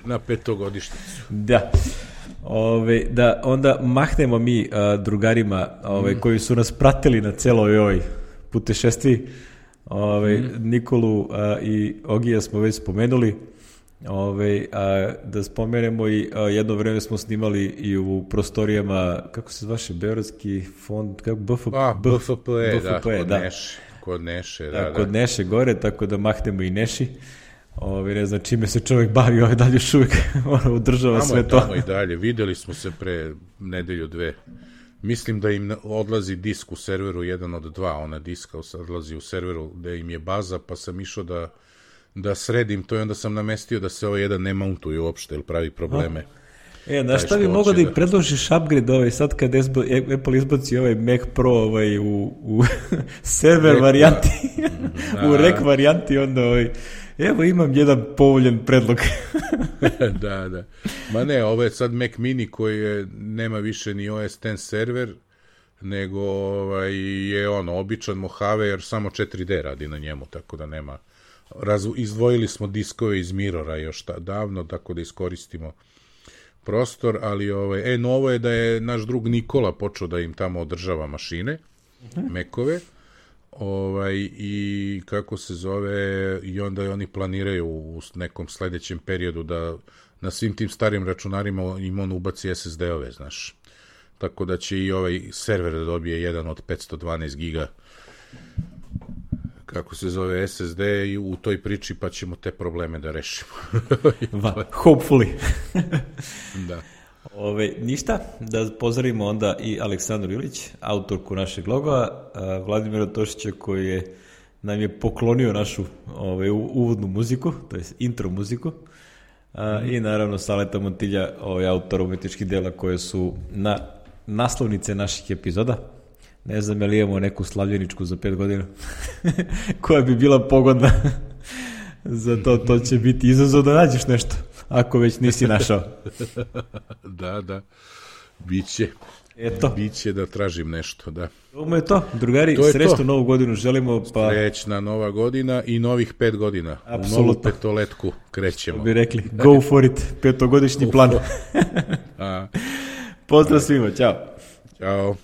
na petogodišnjicu. Da. Ove, da onda mahnemo mi a, drugarima ove, mm. koji su nas pratili na celoj ovoj putešestvi. Ove, mm. Nikolu a, i Ogija smo već spomenuli. Ove, a, da spomenemo i a, jedno vreme smo snimali i u prostorijama, kako se zvaše, Beogradski fond, kako, B F P, a, B F P, B F P, da, kod da. Neše, kod Neše, da, da, da. Kod Neše gore, tako da mahnemo i Neši. Ove, ne znam čime se čovjek bavi, ovaj dalje još uvijek udržava tamo sve to. Tamo i dalje, videli smo se pre nedelju dve. Mislim da im odlazi disk u serveru, jedan od dva, ona diska odlazi u serveru gde im je baza, pa sam išao da, da sredim to i onda sam namestio da se ovaj jedan ne mountuje uopšte, jer pravi probleme. A? E, znaš šta bi mogao da im predložiš upgrade ovaj, sad kad Apple izbaci ovaj Mac Pro ovaj, u, u server Rek, varijanti, da. u rek varijanti, onda ovaj, evo imam jedan povoljen predlog. Da, da. Ma ne, ovo je sad Mac Mini koji je, nema više ni O S deset server, nego ovaj, je ono, običan Mojave, jer samo četiri D radi na njemu, tako da nema. Raz, izdvojili smo diskove iz Mirrora još ta, davno, tako da iskoristimo prostor, ali ovaj, e, novo je da je naš drug Nikola počeo da im tamo održava mašine, uh-huh. Mekove, ovaj, i kako se zove, i onda oni planiraju u nekom sledećem periodu da na svim tim starim računarima im on ubaci S S D-ove, znaš. Tako da će i ovaj server da dobije jedan od petsto dvanaest giga, kako se zove, S S D, i u toj priči pa ćemo te probleme da rešimo. Va, hopefully. Da. Ove, ništa, da pozdravimo onda i Aleksandru Ilić, autorku našeg loga, Vladimira Tošića koji je, nam je poklonio našu ove, uvodnu muziku, to je intro muziku, a, mm. i naravno Saleta Montilja, ovaj, autor umetničkih dela koje su na naslovnice naših epizoda. Ne znam je li imamo neku slavljeničku za pet godina koja bi bila pogodna za to, to će biti izazov da nađeš nešto, ako već nisi našao. Da, da, biće. Eto. Biće da tražim nešto, da. Ovo je to, drugari, srećnu novu godinu želimo. Pa... Srećna nova godina i novih pet godina. Apsolutno. U novu petoletku krećemo. Bi rekli, go for it, petogodišnji plan. Pozdrav svima, ćao. Ćao.